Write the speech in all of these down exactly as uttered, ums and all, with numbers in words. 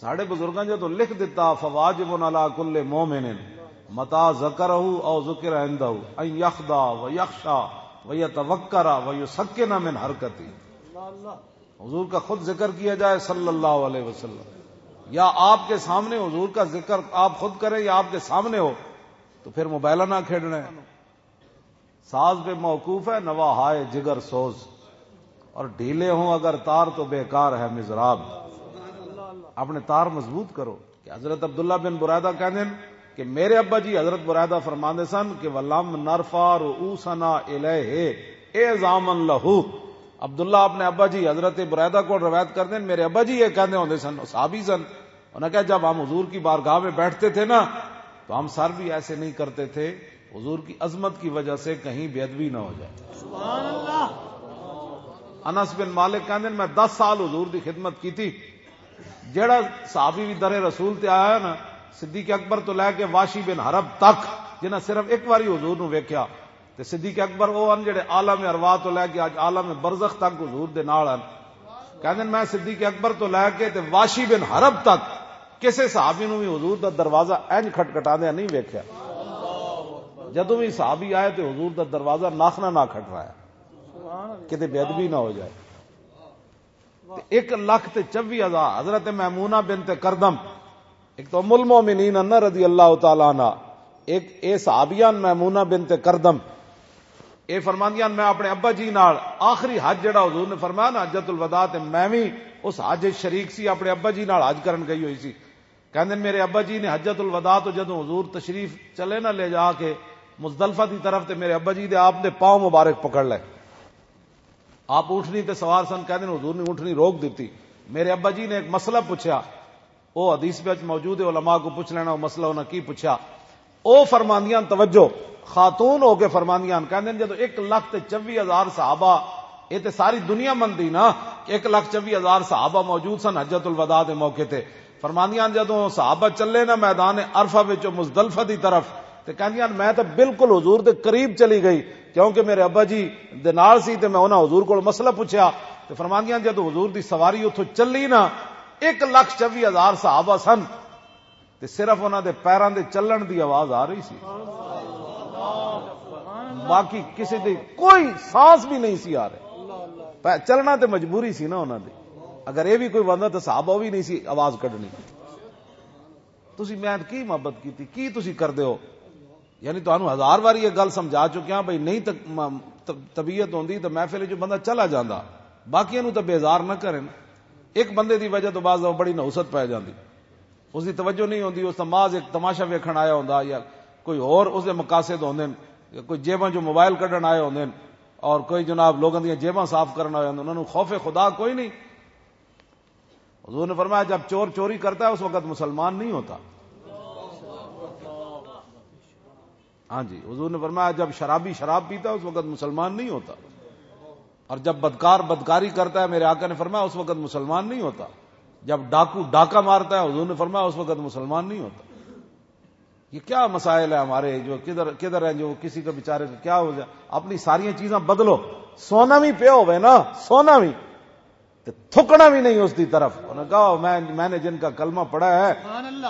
ساڈے بزرگاں جدوں لکھ دتا، فواجب علی کل مومن متا ذکرہ او ذکر عندہ ان یخدا و یخشا و یتوکر و یسکن من حرکتی۔ حضور کا خود ذکر کیا جائے صلی اللہ علیہ وسلم، یا آپ کے سامنے حضور کا ذکر آپ خود کریں یا آپ کے سامنے ہو، تو پھر موبائل نہ کھیڈنا ہے۔ ساز پہ موقوف ہے نوا ہائے جگر سوز، اور ڈھیلے ہوں اگر تار تو بیکار ہے مضراب۔ اپنے تار مضبوط کرو۔ کہ حضرت عبداللہ بن برائدہ کہندے ہیں کہ میرے ابا جی حضرت برائدہ فرماندے سن کہ ولم نرفع رؤوسنا الیہ اعظاما لہ۔ عبداللہ اپنے ابا جی حضرت برائدہ کو روایت کرتے ہیں، میرے ابا جی یہ کہندے ہوندے سن، صحابی سن، انہوں نے کہا، جب ہم حضور کی بارگاہ میں بیٹھتے تھے نا، تو ہم سر بھی ایسے نہیں کرتے تھے، حضور کی عظمت کی وجہ سے کہیں بے ادبی نہ ہو جائے۔ انس بن مالک کہندے، میں دس سال حضور دی خدمت کی تھی۔ جیڑا صحابی بھی در رسول تے آیا ہے نا، صدیق اکبر تو لے کے واشی بن حرب تک، جنہاں صرف ایک واری حضور نو ویکھیا، تے صدیق اکبر او ہن جڑے عالم ارواح تو لے کے اج عالم برزخ تک حضور دے نال ہن۔ کہندے، میں صدیق اکبر تو لے کے تے واشی بن حرب تک کسے صحابی نو بھی حضور دا دروازہ انج کھٹکھٹاندے نہیں ویکھیا۔ جدوں بھی صحابی آئے تے حضور دا دروازہ ناخنا نہ کھٹرایا، کتے بے ادبی نہ ہو جائے۔ تے ایک لکھ تے چوی ہزار، حضرت میمونہ بنت کردم، ایک تو ام المومنین انہ رضی اللہ تعالیٰ عنہ، ایک اے صحابیان میمونہ بنت کردم، اے فرماندیاں، میں اپنے ابا جی نال آخری حج جڑا حضور نے فرمایا نا، حجۃ الوداع، تے میں وی اس حج وچ شریک سی، اپنے ابا جی نال حج کرن گئی ہوئی سی۔ کہندے، میرے ابا جی نے حجۃ الوداع تو جدوں حضور تشریف چلے نہ لے جا کے مزدلفہ دی طرف، تے میرے ابا جی دے آپ دے پاؤں مبارک پکڑ لے۔ آپ اونٹنی تے سوار سن، کہندے نے حضور نے اونٹنی روک دتی۔ میرے ابا جی نے ایک مسئلہ پوچھا، وہ حدیث وچ موجود ہے، علماء کو پوچھ لینا، وہ مسئلہ انہاں کی پوچھا۔ او فرماندیاں، توجہ، خاتون ہو کے فرماندیاں، کہندے نے جدوں ایک لکھ تے چوی ہزار صحابہ، اے تے ساری دنیا مندی نا کہ ایک لکھ چوی ہزار صحابہ موجود سن حجۃ الوداع دے موقع تے۔ فرماندیاں، جدوں صحابہ چلے نا میدان عرفہ وچوں مزدلفہ دی طرف، تے کہندیاں، میں تے بالکل حضور دے قریب چلی گئی، کیونکہ میرے ابا جی دے نال سی، تے میں انہاں حضور کول مسئلہ پوچھیا۔ تے فرماندیاں، جدوں حضور دی سواری اتھوں چلی نا، ایک لکھ چوی ہزار صحابہ سن، تے صرف انہاں دے پیراں دے چلن دی آواز آ رہی سی، باقی کسی دی کوئی سانس بھی نہیں سی آ رہے۔ پہ-، چلنا تے مجبوری سی نا انہاں دی۔ اگر اے بھی کوئی بندہ تے صحابہ بھی نہیں سی آواز کڈنی۔ تسی میں کی محبت کیتی، کی تسی کردے ہو؟ یعنی تانوں ہزار واری یہ گل سمجھا چکیا بھئی، نہیں ت-، م-، ت-، طبیعت ہوندی تے محفل چوں بندہ چلا جاندا، باقیاں نوں تے بیزار نہ کرن۔ ایک بندے دی وجہ تو بعض دفعہ بڑی نحوست پی جاندی، اس دی توجہ نہیں ہوندی، اس دا محض ایک تماشا ویکھن آیا ہوندا یا کوئی ہور اس دے مقاصد ہوندے نے، کوئی جیباں چوں موبائل کڈن آئے ہوندے نے اور کوئی جناب لوگاں دیاں جیباں صاف کرن آئے ہوندے، انہاں نوں خوف خدا کوئی نہیں۔ حضور نے فرمایا، جب چور چوری کرتا ہے اس وقت مسلمان نہیں ہوتا۔ ہاں جی، حضور نے فرمایا، جب شرابی شراب پیتا ہے اس وقت مسلمان نہیں ہوتا، اور جب بدکار بدکاری کرتا ہے، میرے آقا نے فرمایا، اس وقت مسلمان نہیں ہوتا۔ جب ڈاکو ڈاکہ مارتا ہے، حضور نے فرمایا، اس وقت مسلمان نہیں ہوتا۔ یہ کیا مسائل ہیں ہمارے، جو کدھر کدھر ہیں، جو کسی کا بیچارے کا کیا ہو جائے، اپنی ساری چیزاں بدلو۔ سونا بھی پیا ہوئے نا، سونا بھی، تے تھکنا بھی نہیں اس دی طرف۔ انہوں نے کہا، میں، میں نے جن کا کلمہ پڑھا ہے،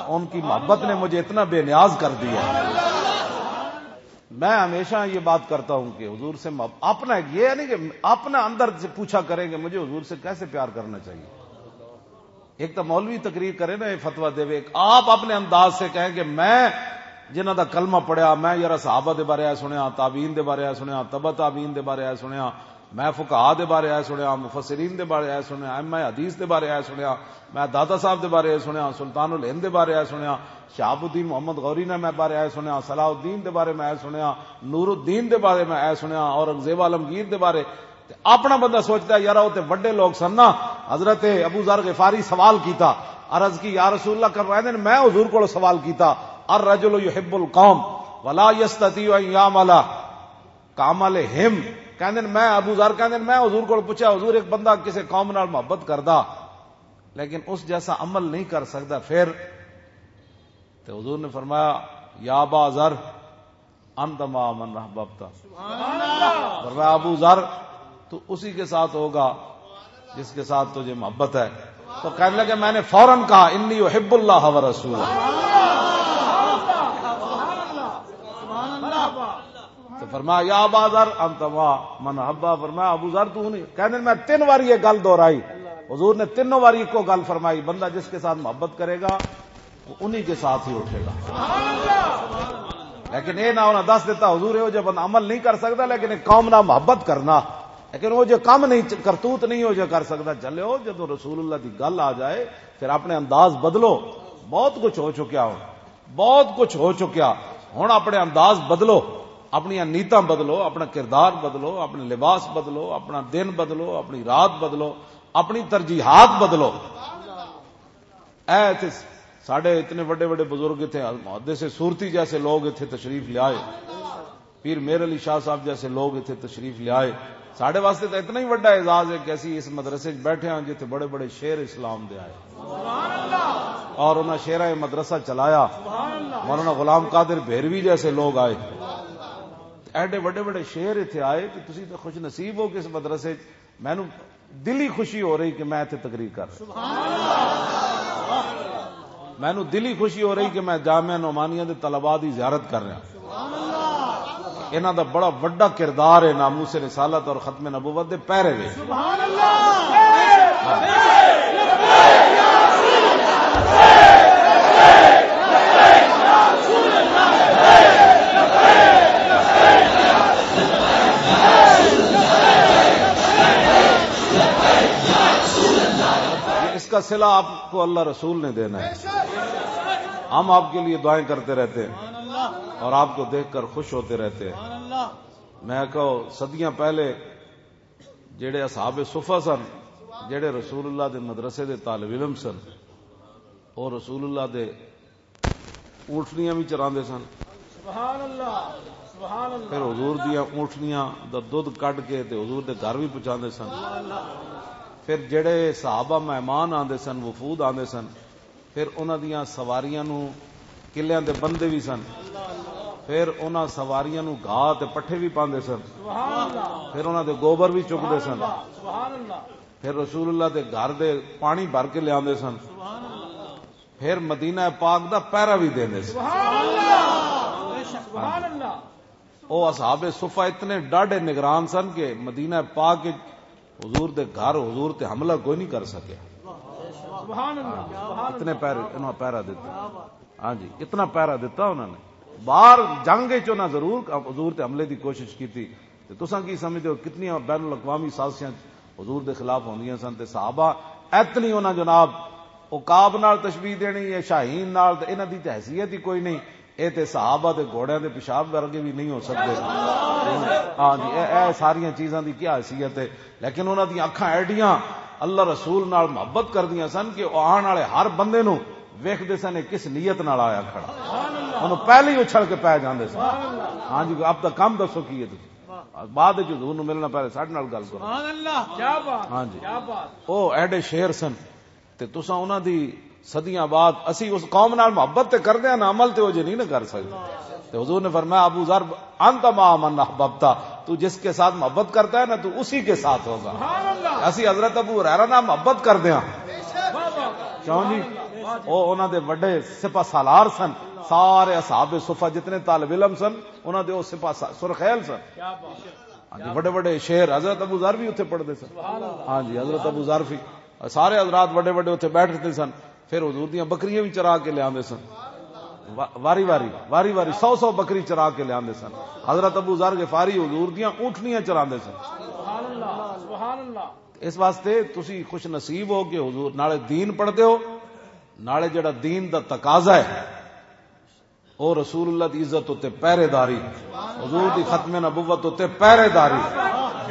ان کی محبت نے مجھے اتنا بے نیاز کر دیا ہے۔ میں ہمیشہ یہ بات کرتا ہوں کہ حضور سے مح-، اپنا ایک یہ نہیں کہ اپنا اندر سے پوچھا کریں کہ مجھے حضور سے کیسے پیار کرنا چاہیے۔ ایک تو مولوی تقریر کرے نا، یہ فتویٰ دے، ایک آپ اپنے انداز سے کہیں کہ میں جنہاں دا کلمہ پڑھیا، میں یارا صحابہ دے بارے آ سنیا، تابعین دے بارے آ سنیا، تبع تابعین دے بارے آ سنیا، میں فقہا دے بارے آ سنیا، مفسرین دے بارے آ سنیا، ائمہ حدیث دے بارے آ سنیا، میں داتا صاحب دے بارے آ سنیا، سلطان الہند دے بارے آ سنیا، شہاب الدین محمد غوری نے میں بارے آ سنیا، صلاح الدین دے بارے میں آ سنیا، نور الدین دے بارے میں آ سنیا، اورنگزیب عالمگیر دے بارے۔ تے اپنا بندہ سوچدا ہے، یار، او تے وڈے لوگ سن نا۔ حضرت ابو ذر غفاری سوال کیتا، عرض کی، یا رسول اللہ، کر رہے ہیں، میں حضور کو سوال کیتا، الرجل یحب القوم ولا یستطیع ان یعمل کعملہم۔ کہندے نے، میں، ابو ذر کہندے نے، میں حضور کو پوچھا، حضور، ایک بندہ کسی قوم نال محبت کردا لیکن اس جیسا عمل نہیں کر سکدا، پھر؟ تے حضور نے فرمایا، یا ابا ذر، انت مع من احببت۔ فرمایا، ابو ذر، تو اسی کے ساتھ ہوگا جس کے ساتھ تجھے محبت ہے۔ تو کہنے لگے، میں نے فوراً کہا، "انی احب اللہ و رسول۔" تو فرمایا، "یا ابا ذر، انت ما من احبا۔" فرمایا، "ابو ذر، تو نہیں۔" کہنے، میں تین واری یہ گل دہرائی۔ حضور نے تینوں واری کو گل فرمائی، بندہ جس کے ساتھ محبت کرے گا، وہ انہی کے ساتھ ہی اٹھے گا۔ لیکن اے نہ انہاں دس دیتا، حضور، اے جو بندہ عمل نہیں کر سکتا، لیکن ایک قوم نہ محبت کرنا، لیکن وہ جو کم نہیں، کرتوت نہیں ہو جو کر سکتا۔ چلے ہو، جدوں رسول اللہ دی گل آ جائے، پھر اپنے انداز بدلو۔ بہت کچھ ہو چکیا ہو، بہت کچھ ہو چکیا۔ ہن اپنے انداز بدلو، اپنی نیتاں بدلو، اپنا کردار بدلو، اپنے لباس بدلو، اپنا دن بدلو، اپنی رات بدلو، اپنی ترجیحات بدلو۔ اے اتھے ساڈے اتنے وڈے وڈے بزرگ اتھے، محدث صورتی جیسے لوگ اتھے تشریف لے آئے، پیر میر علی شاہ صاحب جیسے لوگ اتھے تشریف لے آئے۔ ساڈے واسطے تو اتنا ہی وڈا اعزاز ہے کہ اسی اس مدرسے وچ بیٹھے ہاں جتھے بڑے بڑے شیر اسلام دے آئے اور انہاں شیراں یہ مدرسہ چلایا۔ مولانا غلام قادر بھیروی جیسے لوگ آئے، ایڈے وڈے وڈے شیر اتھے آئے کہ تسی تو خوش نصیب ہو کہ اس مدرسے وچ مینوں دلی خوشی ہو رہی کہ میں اتھے تقریر کر رہا۔ مینوں دلی خوشی ہو رہی کہ میں جامعہ نعمانیہ دے طلباء دی زیارت کر رہا۔ انہاں دا بڑا وڈا کردار ہے ناموس رسالت اور ختم نبوت دے پیرے وچ۔ اس کا صلہ آپ کو اللہ رسول نے دینا ہے۔ ہم آپ کے لیے دعائیں کرتے رہتے ہیں اور آپ کو دیکھ کر خوش ہوتے رہتے ہیں۔ میں کہو، صدیاں پہلے جڑے اصحاب صفہ سن، جڑے رسول اللہ دے مدرسے دے طالب علم سن، اور رسول اللہ دے اونٹنیاں بھی چراندے سن۔ سبحان اللہ، سبحان اللہ۔ پھر حضور دیاں اونٹنیاں دا دودھ کڈ کے تے حضور دے گھر بھی پہنچاندے سن۔ پھر جڑے صحابہ مہمان آندے سن، وفود آندے سن، پھر انہاں دیاں سواریاں نوں، قلعیاں دے بندے بھی سن، پھر انہاں سواریاں نوں گھاہ تے پٹھے بھی پاندے سن، پھر انہاں دے گوبر بھی چکدے سن، پھر رسول اللہ دے گھر دے پانی بھر کے لیاندے سن، پھر مدینہ پاک دا پہرا بھی دیندے سن۔ سبحان اللہ۔ او اصحاب صفہ اتنے ڈاڈے نگران سن کہ مدینہ پاک وچ حضور دے گھر، حضور تے حملہ کوئی نہیں کر سکیا۔ سبحان اللہ، سبحان اتنے اللہ۔ پہرے، انہاں پہرا دیتا۔ ہاں جی، اتنا پہرا دیتا انہاں نے۔ باہر جنگ وچ انہاں ضرور حضور تے حملے دی کوشش کیتی۔ تے تساں کی سمجھدے ہو کتنیاں بین الاقوامی سازشاں حضور دے خلاف ہوندیاں سن تے صحابہ اتنی انہاں جناب عقاب نال تشبیہ دینی ہے، شاہین نال، تے انہاں دی تے حیثیت ہی کوئی نہیں۔ اے تے صحابہ دے گھوڑیاں دے پیشاب ورگے بھی نہیں ہو سکدے۔ ہاں جی، اے، اے ساریاں چیزاں دی کیا حیثیت ہے؟ لیکن انہاں دی اکھاں ایڈیاں اللہ رسول نال محبت کردیاں سن کہ او آن والے ہر بندے نوں ویکھدے سن، اے کس نیت نال آیا کھڑا۔ انہوں پہلے ہی اچھل کے پے جاندے سن۔ ہاں جی، اب دا کم دسو کی ہے تسی؟ بعد وچ حضور نوں ملنا، پہلے ساڈے نال گل کرو۔ سبحان اللہ، کیا بات، ہاں جی۔ کیا بات۔ او ایڈے شیر سن۔ تے تساں انہاں دی صدیاں بعد، اسی اس قوم نال محبت تے کردے ہاں، عمل تے او جے نہیں نہ کر سکدے۔ تے حضور نے فرمایا، "ابو ذر، انت مع من احببت، تو جس کے ساتھ محبت کرتا ہے نا، تو اسی کے ساتھ ہوگا۔" اسی حضرت ابو ہریرہ نال محبت کردے ہاں۔ کیوں جی؟ او انہاں دے وڈے سپہ سالار سن، سارے اصحاب صفہ جتنے طالب علم سن، انہاں دے او سپہ سا-، سرخیل سن۔ ہاں جی، وڈے وڈے شعر حضرت ابو ذر بھی اتھے پڑھدے سن۔ ہاں جی، حضرت ابو ذر بھی، سارے حضرات وڈے وڈے اتھے بیٹھدے سن۔ پھر حضور دیاں بکریاں بھی چرا کے لیاندے سن۔ وا-، واری واری، واری واری سو سو بکری چرا کے لیاندے سن۔ حضرت ابو ذر غفاری حضور دیاں اونٹنیاں چراندے سن۔ سبحان اللہ، سبحان اللہ۔ اس واسطے تسی خوش نصیب ہو کہ حضور نالے دین پڑھدے ہو، نالے جڑا دین دا تقاضا ہے، او رسول اللہ دی عزت اتے پہرے داری، حضور دی ختم نبوت اتے پہرے داری،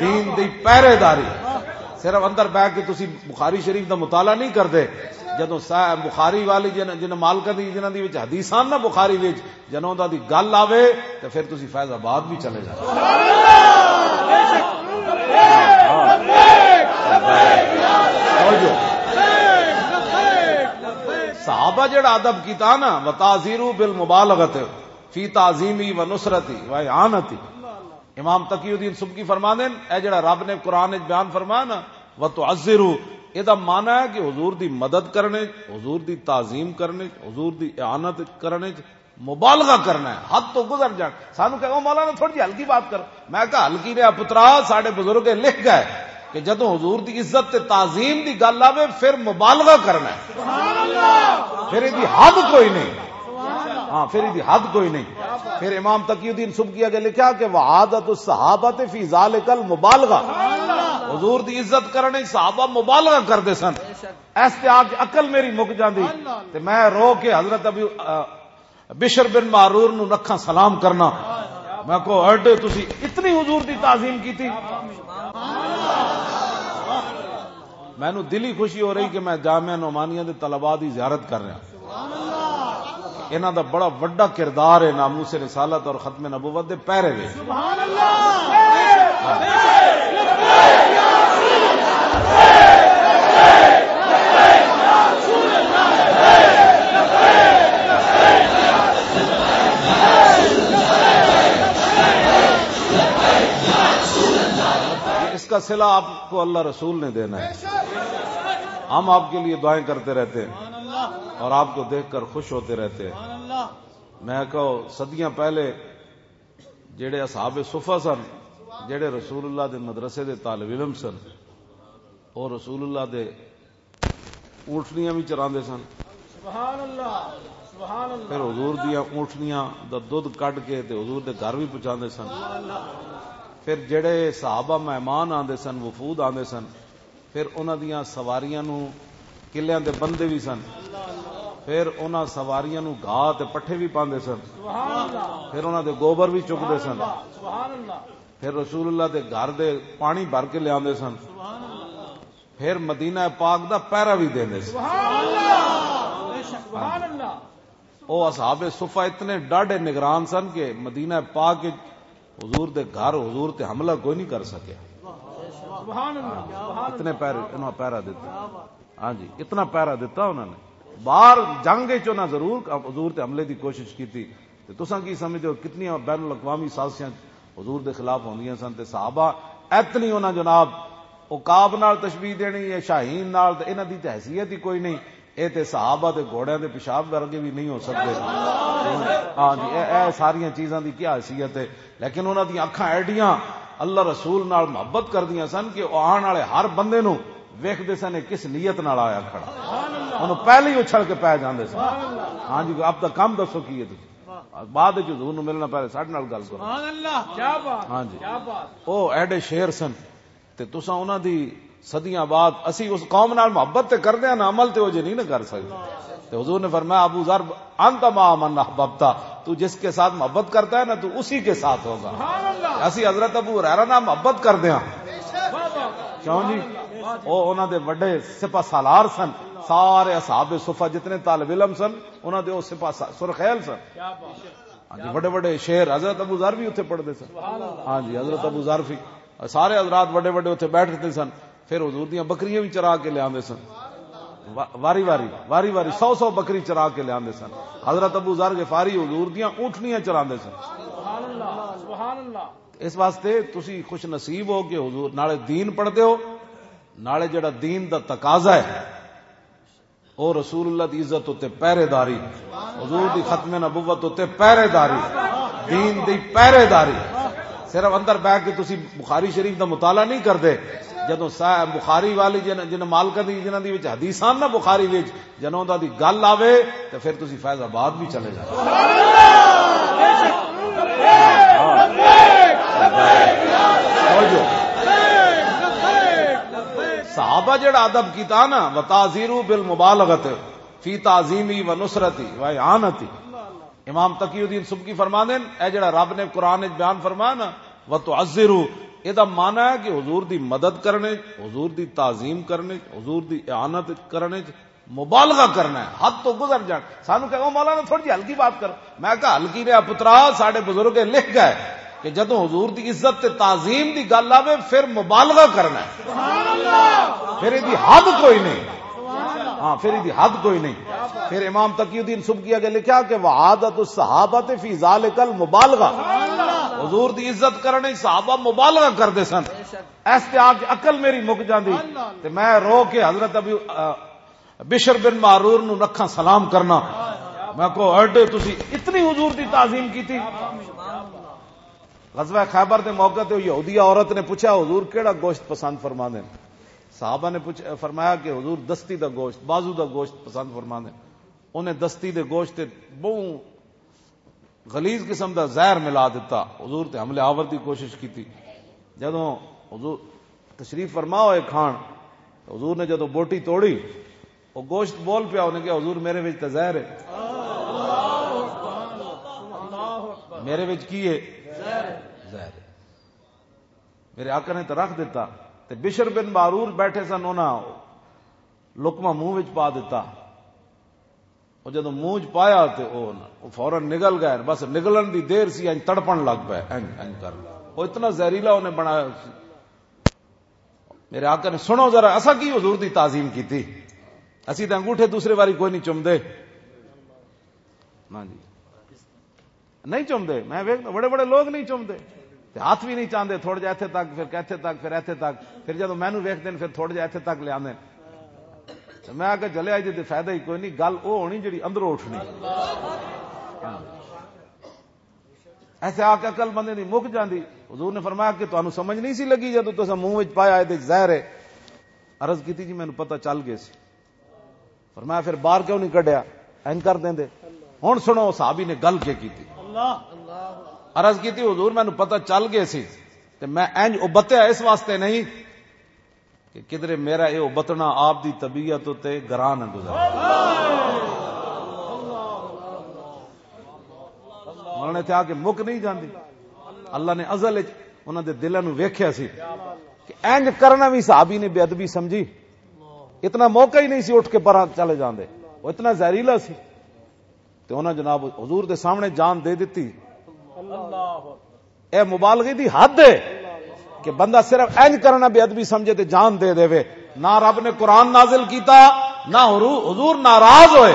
دین دی پہرے داری۔ صرف اندر بیٹھ کے تسی بخاری شریف دا مطالعہ نہیں کردے۔ جدوں صحیح بخاری والی جن، جن مالکاں دی، جنہاں دی وچ حدیثاں نا بخاری وچ، جدوں انہاں دی گل آوے تے پھر تسی فیض آباد بھی چلے جاؤ۔ توجہ۔ صحابہ جڑا ادب کیتا نا، وتعزیروا بالمبالغۃ فی تعظیمی و نصرتی و اعانتی۔ امام تقی الدین سبکی فرماندے نے، اے جڑا رب نے قرآن وچ بیان فرمایا نا، وتعزروا، یہ دا معنی ہے کہ حضور دی مدد کرنے، حضور دی تعظیم کرنے، حضور دی اعانت کرنے، مبالغہ کرنا ہے، حد تو گزر جان۔ سانو کہو، "مولانا، تھوڑی جی ہلکی بات کر۔" میں کہا، "ہلکی نے پترا، ساڈے بزرگ لکھ گئے کہ جدوں حضور دی عزت تے تعظیم دی گل آوے، پھر مبالغہ کرنا ہے۔" پھر ایدی حد کوئی نہیں۔ ہاں، پھر ایدی حد کوئی نہیں۔ پھر امام تقی الدین سبکی اگے لکھا کہ "وعادت الصحابہ فی ذالک المبالغہ۔" حضور دی عزت کرنے صحابہ مبالغہ کردے سن۔ اس تے آ کے عقل میری مک جاندی تے میں رو کے حضرت ابی، آ، بشر بن معرور نو لکھاں سلام کرنا۔ میں کہو، "ایڈے تسی اتنی حضور دی تعظیم کیتی۔" مینوں دلی خوشی ہو رہی کہ میں جامعہ نعمانیہ دے طلباء دی زیارت کر رہا۔ انہاں دا بڑا وڈا کردار ہے ناموس رسالت اور ختم نبوت دے پیرے وچ۔ اس کا صلہ آپ کو اللہ رسول نے دینا ہے۔ ہم آپ کے لیے دعائیں کرتے رہتے ہیں اور آپ کو دیکھ کر خوش ہوتے رہتے ہیں۔ میں کہو، صدیاں پہلے جڑے اصحاب صفہ سن، جڑے رسول اللہ دے مدرسے دے طالب علم سن، اور رسول اللہ دے اونٹنیاں بھی چراندے سن۔ سبحان اللہ، سبحان اللہ۔ پھر حضور دیاں اونٹنیاں دا دودھ کڈ کے تے حضور دے گھر بھی پہنچاندے سن۔ پھر جڑے صحابہ مہمان آندے سن، وفود آندے سن، پھر انہاں دیاں سواریاں نو، قلعیاں دے بندے بھی سن، پھر انہاں سواریاں نو گھاہ تے پٹھے بھی پاندے سن، پھر انہاں دے گوبر بھی چکدے سن، پھر رسول اللہ دے گھر دے پانی بھر کے لیاندے سن، پھر مدینہ پاک دا پہرا بھی دیندے سن۔ سبحان اللہ۔ او اصحاب صفہ اتنے ڈاڈے نگران سن کہ مدینہ پاک وچ حضور دے گھر، حضور تے حملہ کوئی نہیں کر سکیا۔ سبحان اللہ، سبحان اتنے اللہ۔ پہرے، انہاں پہرا دیتا۔ ہاں جی، اتنا پہرا دیتا انہاں نے۔ باہر جنگ وچ انہاں ضرور حضور تے حملے دی کوشش کیتی۔ تے تساں کی سمجھدے ہو کتنی بین الاقوامی سازشاں حضور دے خلاف ہوندیاں سن تے صحابہ اتنی انہاں جناب عقاب نال تشبیہ دینی یا شاہین نال، تے انہاں دی تے حیثیت ہی کوئی نہیں۔ اے تے صحابہ دے گھوڑیاں دے پیشاب ورگے بھی نہیں ہو سکدے۔ ہاں جی، اے، اے ساریاں چیزاں دی کیا حیثیت ہے؟ لیکن انہاں دی اکھاں ایڈیاں اللہ رسول نال محبت کردیاں سن کہ او آن والے ہر بندے نو ویکھدے سن، اے کس نیت نال آیا کھڑا۔ انہوں پہلے ہی اچھل کے پے جاندے سن۔ ہاں جی، آپ دا کم دسو کی ہے تسی؟ بعد وچ حضور نو ملنا، پہلے ساڈے نال گل کرو۔ سبحان اللہ، کیا بات، ہاں جی۔ کیا بات۔ او ایڈے شیر سن۔ تے تساں انہاں دی صدیاں بعد، اسی اس قوم نال محبت تے کردے ہاں نا، عمل تے او جے نہیں نہ کر سکدے۔ تے حضور نے فرمایا، "ابو ذر، انت مع من احببت، تو جس کے ساتھ محبت کرتا ہے نا، تو اسی کے ساتھ ہوگا۔" اسی حضرت ابو ہریرہ نال محبت کردے ہاں۔ کیوں جی؟ او انہاں دے وڈے سپہ سالار سن، سارے اصحاب صفہ جتنے طالب علم سن، انہاں دے او سپہ سا-، سرخیل سن۔ ہاں جی، وڈے وڈے شعر حضرت ابو ذر بھی اتھے پڑھدے سن۔ ہاں جی، حضرت ابو ذر بھی، سارے حضرات وڈے وڈے اتھے بیٹھدے سن۔ پھر حضور دیاں بکریاں بھی چرا کے لیاندے سن۔ وا-، واری واری، واری واری سو سو بکری چرا کے لیاندے سن۔ حضرت ابو ذر غفاری حضور دیاں اونٹنیاں چراندے سن۔ سبحان اللہ، سبحان اللہ۔ اس واسطے تسی خوش نصیب ہو کہ حضور نالے دین پڑھدے ہو، نالے جڑا دین دا تقاضا ہے، او رسول اللہ دی عزت اتے پہرے داری، حضور دی ختم نبوت اتے پہرے داری، دین دی پہرے داری۔ صرف اندر بیٹھ کے تسی بخاری شریف دا مطالعہ نہیں کردے۔ جدوں صحیح بخاری والی جن، جن مالکاں دی، جنہاں دی وچ حدیثاں نا بخاری وچ، جنہاں دا دی گل آوے تے پھر تسی فیض آباد بھی چلے جاؤ۔ توجہ۔ صحابہ جڑا ادب کیتا نا، وتعزیرو بالمبالغت فی تعظیمی و نصرتی و اعانتی۔ امام تقی الدین سبکی فرماندے نے، اے جڑا رب نے قرآن وچ بیان فرمایا نا، "وتعزرو"، اے دا معنی ہے کہ حضور دی مدد کرنے، حضور دی تعظیم کرنے، حضور دی اعانت کرنے، مبالغہ کرنا ہے، حد تو گزر جان۔ سانو کہو، "مولانا، تھوڑی جی ہلکی بات کرو۔" میں کہا، "ہلکی نے پترا، ساڈے بزرگ لکھ گئے کہ جدوں حضور دی عزت تے تعظیم دی گل آوے، پھر مبالغہ کرنا ہے۔" پھر ایدی حد کوئی نہیں۔ ہاں، پھر ایدی حد کوئی نہیں۔ پھر امام تقی الدین سبکی اگے لکھیا کہ "وعادت الصحابہ فی ذالک المبالغہ۔" حضور دی عزت کرنے صحابہ مبالغہ کردے سن۔ اس تے آ کے عقل میری مک جاندی تے میں رو کے حضرت ابی، آ، بشر بن معرور نو رکھاں سلام کرنا۔ میں کہو، "اڈے تسی اتنی حضور دی تعظیم کیتی؟" غزوہ خیبر دے موقع تے یہودی عورت نے پوچھا، "حضور کیڑا گوشت پسند فرما دے؟" صحابہ نے پوچھ-، فرمایا کہ حضور دستی دا گوشت، بازو دا گوشت پسند فرما دے۔ انہیں دستی دے گوشت تے بہوں غلیظ قسم دا زہر ملا دتا۔ حضور تے حملے آور دی کوشش کیتی۔ جدوں حضور تشریف فرما ہوئے کھان، حضور نے جدوں بوٹی توڑی، وہ گوشت بول پیا، انہیں کہا، "حضور، میرے وچ تے زہر ہے۔" میرے وچ کی ہے؟ زہر ہے۔ میرے آقا نے تو رکھ دیتا۔ تے بشر بن معرور بیٹھے سن، انہاں لقمہ منہ وچ پا دیتا۔ وہ جدوں منہ وچ پایا تے وہ، وہ فوراً نگل گئے۔ بس نگلن دی دیر سی، انج تڑپن لگ پے، انج، انج کر۔ وہ اتنا زہریلا انہیں بنایا سی۔ میرے آقا نے، سنو ذرا، اسا کی حضور دی تعظیم کیتی؟ اسی تے انگوٹھے دوسرے واری کوئی نہیں چمدے۔ ہاں جی، نہیں چمدے۔ میں ویکھدا بڑے بڑے لوگ نہیں چمدے، تے ہاتھ بھی نہیں چاندے، تھوڑا جہا ایتھے تک، پھر کیتھے تک، پھر ایتھے تک، پھر جدوں مینوں ویکھدے نے، پھر تھوڑا جہا ایتھے تک لے آندے نے۔ تے میں آکھیا، "جلیا جی تے فائدہ ہی کوئی نہیں، گل او ہونی جڑی اندروں اٹھنی۔" ایسے آ کے عقل بندے دی مک جاندی۔ حضور نے فرمایا کہ تانوں سمجھ نہیں سی لگی جدوں تساں منہ وچ پایا، اے تے زہر ہے۔ عرض کیتی، "جی مینوں پتہ چل گیا سی۔" فرمایا، "پھر باہر کیوں نہیں کڈیا؟ اینج کر دیندے۔" ہن سنو، صحابی نے گل کے کیتی۔ عرض کیتی، "حضور، مینوں پتہ چل گیا سی تے میں اینج ابتیا اس واسطے نہیں کہ کدرے میرا یہ ابتنا آپ دی طبیعت تے گراں نہ گزر۔" انہوں نے کہا کہ مک نہیں جاندی۔ اللہ نے ازل وچ انہاں دے دلاں نوں ویکھیا سی کہ اینج کرنا بھی صحابی نے بے ادبی سمجھی۔ اتنا موقع ہی نہیں سی اٹھ کے پراں چلے جاندے، وہ اتنا زہریلا سی۔ تے انہاں جناب حضور دے سامنے جان دے دتی۔ اے مبالغے دی حد ہے کہ بندہ صرف اینج کرنا بے ادبی سمجھے تے جان دے دے وے۔ نہ رب نے قرآن نازل کیتا، نہ حرو-، حضور ناراض ہوئے۔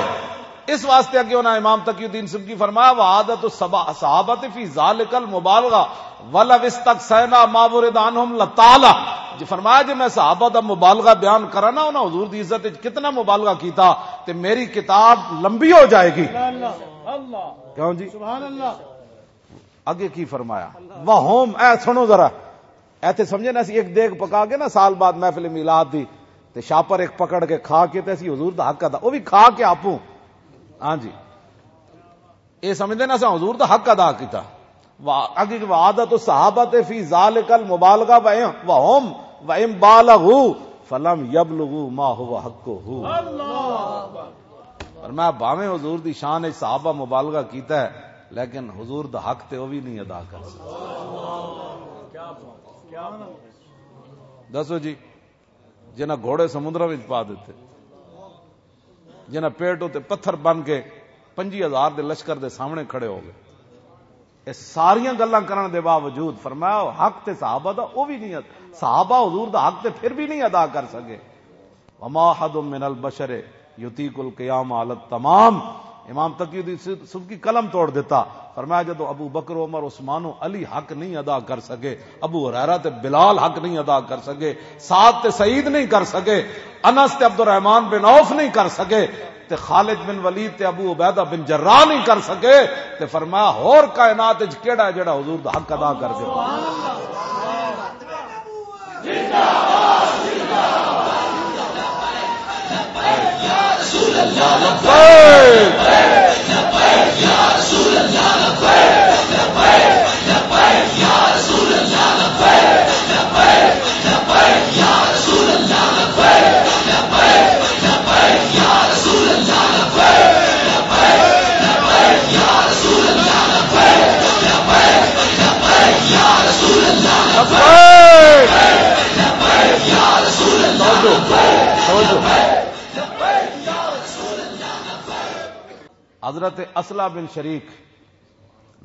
اس واسطے اگے انہاں امام تقی الدین سبکی فرمایا، "وعادت الصحابہ فی ذالک المبالغہ ولو استقصینا ما ورد عنہم لطالہ۔" جی فرمایا، جی میں صحابہ دا مبالغہ بیان کراں نا، انہاں حضور دی عزت وچ کتنا مبالغہ کیتا تے میری کتاب لمبی ہو جائے گی۔ کیوں جی؟ سبحان اللہ۔ اگے کی فرمایا؟ وہم، اے سنو ذرا، ایتھے سمجھے نا، اسی ایک دیگ پکا کے نا سال بعد محفل میلاد دی، تے شاپر ایک پکڑ کے کھا کے تے اسی حضور دا حق ادا، وہ بھی کھا کے آپوں۔ ہاں جی، اے سمجھدے نا اساں حضور دا حق ادا کیتا۔ وا-، اگے کہ وعادت الصحابہ فی ذالک المبالغہ و ان-، وہم و ان بالغوا فلم یبلغوا ما هو حقہ۔ اور میں بھاویں حضور دی شان وچ صحابہ مبالغہ کیتا ہے، لیکن حضور دا حق تے وہ بھی نہیں ادا کر سکتا۔ دسو جی، جنہاں گھوڑے سمندراں وچ پا دتے، جنہاں پیٹ اتے پتھر بن کے پنجی ہزار دے لشکر دے سامنے کھڑے ہو گئے۔ یہ ساریاں گلاں کرن دے باوجود فرمایا، حق تے صحابہ دا او بھی نہیں ادا، صحابہ حضور دا حق تے پھر بھی نہیں ادا کر سکے۔ وما احد من البشر یطیق القیام علی التمام۔ امام تقی الدین سب کی قلم توڑ دیتا۔ فرمایا، جدو ابو بکر، عمر، عثمان و علی حق نہیں ادا کر سکے، ابو ہریرہ تے بلال حق نہیں ادا کر سکے، سعد تے سعید نہیں کر سکے، انس تے عبد الرحمن بن عوف نہیں کر سکے، تے خالد بن ولید تے ابو عبیدہ بن جراح نہیں کر سکے، تے فرمایا، ہور کائنات وچ کیڑا ہے جڑا حضور دا حق ادا کر دے؟ حضرت اصلہ بن شریک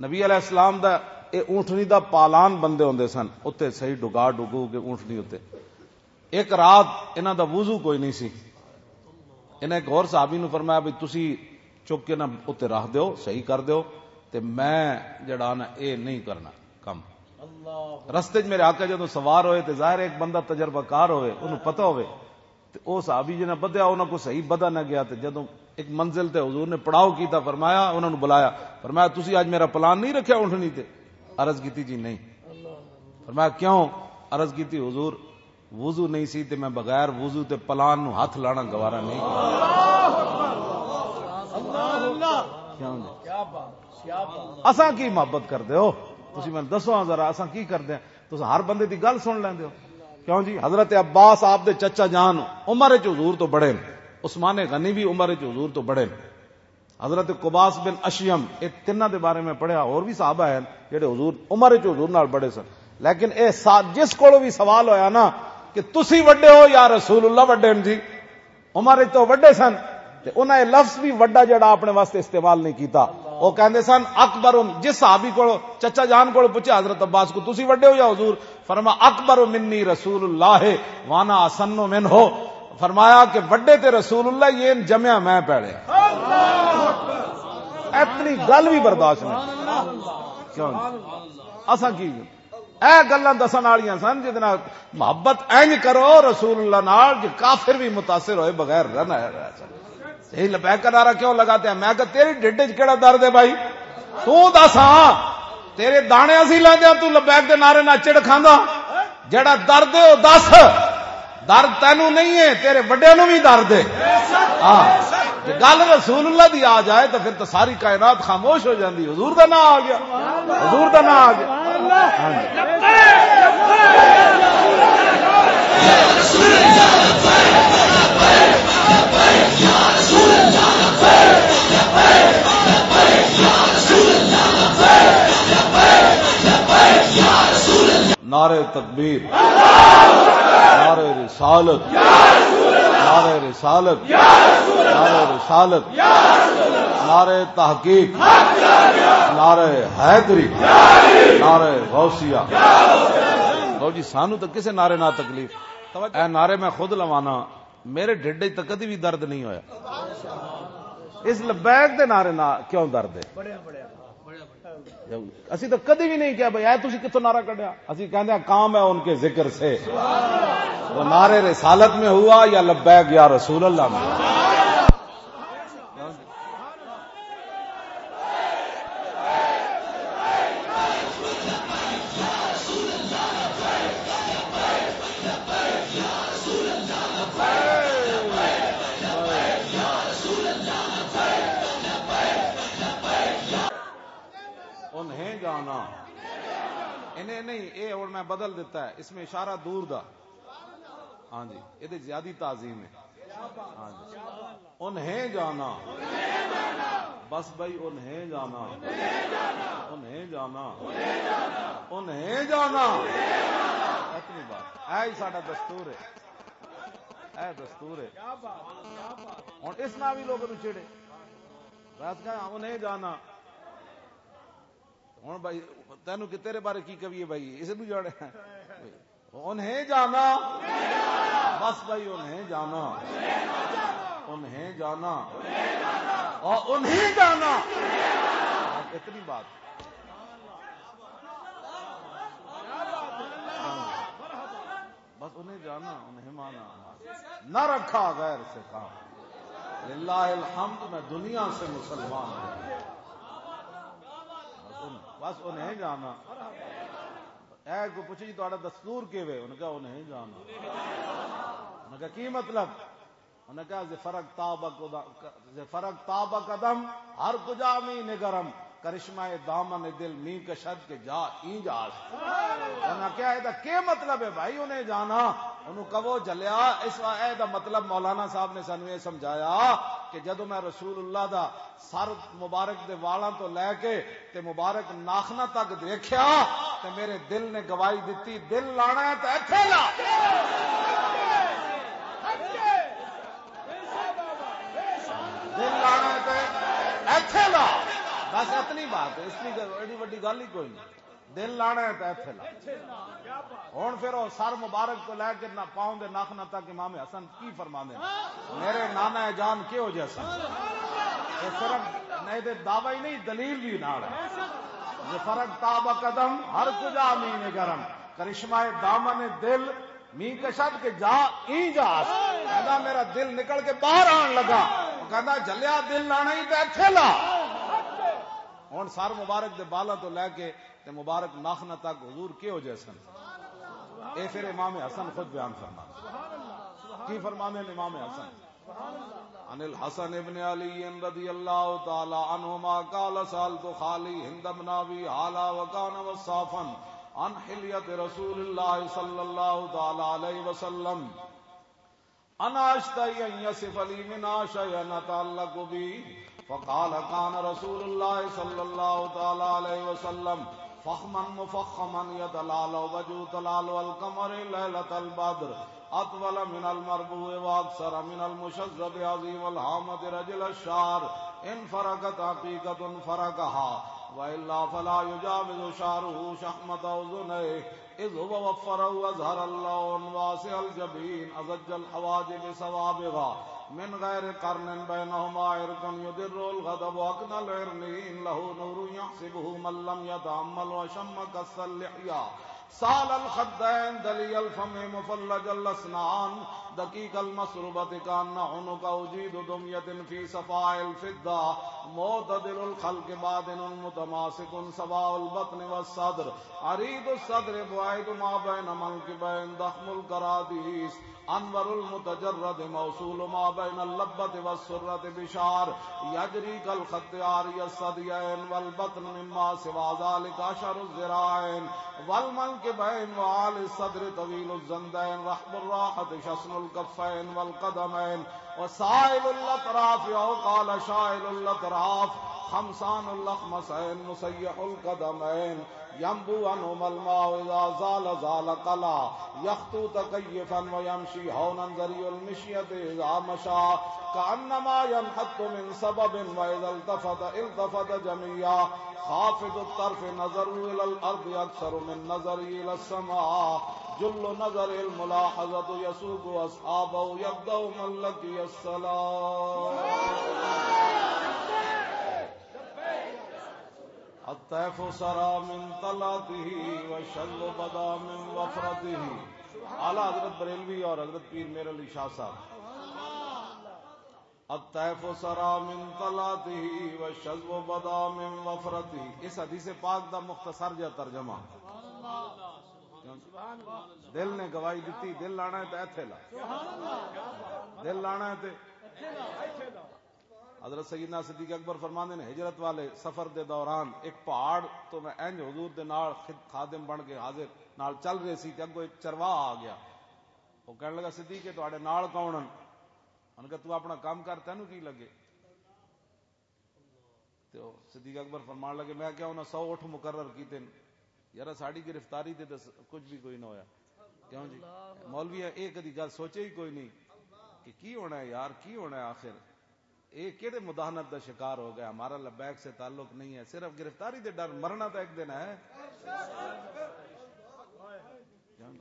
نبی علیہ السلام دا، اے اونٹنی دا پالان بندے ہوندے سن، اتے صحیح ڈگا ڈگو کے اونٹنی اتے۔ ایک رات انہاں دا وضو کوئی نہیں سی۔ انہاں ایک ہور صحابی نوں فرمایا، "بھئی تسی چک کے نہ اتے رکھ دیو، صحیح کر دیو، تے میں جڑا نا اے نہیں کرنا، رستے 'چ میرے آقا جدوں سوار ہوئے تے ظاہر ہے ایک بندہ تجربہ کار ہوئے، انہوں پتہ ہوئے۔ تے او صحابی جنہاں بدھیا، انہاں کو صحیح بدھا نہ گیا۔ تے جدوں ایک منزل تے حضور نے پڑاؤ کیتا، فرمایا، انہاں نوں بلایا، فرمایا، "تسی اج میرا پلان نہیں رکھیا اٹھنی تے؟" عرض کیتی، "جی نہیں۔" فرمایا، "کیوں؟" عرض کیتی، "حضور، وضو نہیں سی تے میں بغیر وضو تے پلان نوں ہاتھ لانا گوارا نہیں۔" کیوں جی؟ اساں کی محبت کردے ہو؟ تسی مینوں دسو ہاں ذرا، اساں کی کردے ہیں؟ تسی ہر بندے دی گل سن لیندے ہو؟ کیوں جی؟ حضرت عباس آپ دے چچا جان عمر وچ حضور تو بڑے نے، عثمان غنی بھی عمر وچ حضور تو بڑے نے، حضرت قباس بن اشیم، یہ تیناں دے بارے میں پڑھیا، اور بھی صحابہ ہیں جڑے حضور، عمر وچ حضور نال بڑے سن۔ لیکن اے سا-، جس کولوں بھی سوال ہویا نا کہ تسی وڈے ہو یا رسول اللہ وڈے ہیں جی، عمر وچ تو وڈے سن، تے انہاں یہ لفظ بھی وڈا جڑا اپنے واسطے استعمال نہیں کیتا۔ وہ کہندے سن، اکبر، جس صحابی کو، چچا جان کو پوچھا حضرت عباس کو، "تسی وڈے ہو یا حضور؟" فرما، "اکبر منی رسول اللہ وانا اسن منہ۔" فرمایا کہ وڈے تے رسول اللہ، یہ جمیا میں پیڑے۔ اتنی گل بھی برداشت نہیں۔ کیوں نہیں؟ اساں کی اے گلاں دسن والیاں سن، جس نال محبت انج کرو رسول اللہ نال، جو کافر بھی متاثر ہوئے بغیر رہ نہ رہ سکے۔ یہ لبیک کا نعرہ کیوں لگاتے ہیں؟ میں کہا، "تیری ڈڈ وچ کیڑا درد ہے بھائی؟ تو دس ہاں، تیرے دانے اسی لیندے ہاں، تو لبیک دے نعرے نہ چڑ کھاندا۔ جڑا درد ہے، وہ دس۔" درد تینوں نہیں ہے، تیرے وڈیاں نوں بھی درد ہے۔ ہاں، جے گل رسول اللہ دی آ جائے تو پھر تو ساری کائنات خاموش ہو جاندی۔ حضور دا نام آ گیا، حضور دا نام آ گیا۔ ہاں جی۔ نعرہ تکبیر، نعرہ رسالت، نعرہ رسالت، نعرہ رسالت، نعرہ تحقیق، نعرہ حیدری، نعرہ غوثیہ۔ لو جی، سانو تو کسے نعرے نہ تکلیف۔ اے نعرے میں خود لوانا، میرے ڈھڈ وچ تو کدی بھی درد نہیں ہویا۔ اس لبیک دے نعرے نہ کیوں درد ہے؟ اسی تو کدی بھی نہیں کہا، "بھائی، اے تسی کتھوں نعرہ کڈیا؟" اسی کہندے ہیں، "کام ہے ان کے ذکر سے۔" وہ نعرے رسالت میں ہوا یا لبیک یا رسول اللہ میں؟ انہیں جانا۔ انہیں نہیں، اے ہن میں بدل دیتا ہے، اس میں اشارہ دور دا۔ ہاں جی، یہ زیادہ تعظیم ہے۔ ہاں جی۔ انہیں جانا۔ بس بھائی، انہیں جانا۔ انہیں جانا۔ انہیں جانا۔ اتنی بات۔ اے ہی ساڈا دستور ہے۔ اے دستور ہے۔ ہن اس نال بھی لوگ نوں چڑے۔ بس کہا، "انہیں جانا۔" ہن بھائی، تینوں کہ تیرے بارے کی کہیے بھائی، اس نوں جانے۔ انہیں جانا۔ بس بھائی، انہیں جانا۔ انہیں جانا۔ اور انہیں جانا۔ اتنی بات۔ بس انہیں جانا، انہیں مانا۔ نہ رکھا غیر سے کام۔ للہ الحمد، میں دنیا سے مسلمان ہوں۔ بس ان-، بس انہیں جانا۔ اے کو پوچھے جی، "تہاڈا دستور کیویں؟" انہاں کہا، "انہیں جانا۔" انہاں کہا، "کی مطلب؟" انہاں کہا، "ز فرق تاب قد-، ز فرق تاب قدم، ہر کجا می نگرم، کرشمہ دامن دل می کشد کے جا اینج آشت۔" انہاں کہا، "اے دا کی مطلب ہے بھائی، انہیں جانا؟" انہوں کہو، "جلیا، اس وا-، اے دا مطلب مولانا صاحب نے سانوں یہ سمجھایا کہ جدوں میں رسول اللہ دا سر مبارک دے والاں تو لے کے تے مبارک ناخنا تک دیکھیا تے میرے دل نے گواہی دتی، دل لانا ہے تے ایتھے لا۔" دل لانا ہے تے ایتھے لا۔ بس اتنی بات ہے، اس کی ایڈی وڈی گل ہی کوئی نہیں۔ دل لانا ہے تے ایتھے لا۔ ہن پھر او سر مبارک تو لے کے نہ پاؤں دے ناخنا تک امام حسن کی فرماندے نے؟ میرے نانا جان کیہو جے سن؟ یہ صرف نہیں تے دعویٰ ہی نہیں، دلیل بھی نال ہے۔ فرق تاب قدم، ہر کجا مین گرم۔ کرشمہ دامن دل، می کشد کے جا، این جا۔ کہندا میرا دل نکل کے باہر آن لگا۔ وہ کہندا، "جلیا دل لانا ہی تے ایتھے لا۔" ہن سر مبارک دے بالاں تو لے کے تے مبارک ناخنہ تک حضور کیہو جے سن؟ اے پھر امام حسن خود بیان فرما۔ کی فرماندے نے امام حسن؟ عن الحسن ابن علی رضی اللہ تعالی عنہما قال: سألت خالی ہند بن ابی حالہ وکان وصافا عن حلیت رسول اللہ صلی اللہ تعالی علیہ وسلم، انا اشتہی ان یصف لی من شیء اتعلق بی، فقال: کان رسول اللہ صلی اللہ تعالی علیہ وسلم فخما مفخما یتلالو وجہ تلالو القمر لیلۃ البدر، اطول من المربوع واکثر من المشذب عظیم الہامۃ رجل الشعر، ان فرقت عقیقۃ فرقہا والا فلا یجاوز شعرہ شحمۃ اذنیہ، اذ هو وفر واظہر اللون واسع الجبین ازج الحواجب سوابغا من غیر قرن بینہما عرق یدر الغضب اکن العرنین لہ نور یحسبہ من لم یتأمل وشم کس اللحیہ سال الخدین دلی الفم مفلج الاسنان دقیق المسربت کأن عنق اجید دمیہ فی صفاء الفضہ معتدل الخلق بادن متماسک سواء البطن والصدر عریض الصدر بعید ما بین منکبین ضخم الکرادیس انور المتجرد موصول ما بین اللبۃ والسرۃ بشعر یجری کالخط عاری الثدیین والبطن مما سوی ذلک اشعر الذراعین والمنکبین وعالی الصدر طویل الزندین رحب الراحۃ شسن الکفین والقدمین وسائل الاطراف او قال شائل الاطراف خمسان الاخمصین مسیح القدمین ینبوع عنہما الماء اذا زال زال قلا یخطو تکیفا ویمشی ہونا ذریع المشیۃ اذا مشی کأنما ینحط من سبب واذا التفت التفت جمیعا خافض الطرف نظره الی الارض اکثر من نظره الی السماء جل نظره الملاحظۃ یسوق اصحابه یبدأ من لقی الصلاۃ۔ الطیف سرا من طلعته والشذب بدا من وفرته۔ اعلیٰ حضرت بریلوی اور حضرت پیر میر علی شاہ صاحب۔ الطیف سرا من طلعته والشذب بدا من وفرته۔ اس حدیث پاک دا مختصر جا ترجمہ۔ دل نے گواہی دتی، دل لانا ہے تے ایتھے لا۔ دل لانا ہے تے حضرت سیدنا صدیق اکبر فرماندے نے، ہجرت والے سفر دے دوران ایک پہاڑ تو میں انج حضور دے نال خد-، خادم بن کے حاضر نال چل رہے سی تے اگوں ایک چرواہا آ گیا۔ وہ کہنے لگا، "صدیق، تہاڈے نال کون ہن؟" انہوں نے کہا، "تو اپنا کام کر، تینوں کی لگے؟" تے او صدیق اکبر فرمان لگے، "میں کیا انہاں سو اٹھ مقرر کیتے نے؟ یار، ساڈی گرفتاری تے تے کچھ بھی کوئی نہ ہویا۔" کیوں جی؟ مولوی اے کدی گل سوچے ہی کوئی نہیں کہ کی ہونا ہے یار، کی ہونا ہے آخر؟ اے کیڑے مداہنت دا شکار ہو گیا؟ ہمارا لبیک سے تعلق نہیں ہے، صرف گرفتاری دے ڈر، مرنا تو ایک دن ہے۔ کیوں جی؟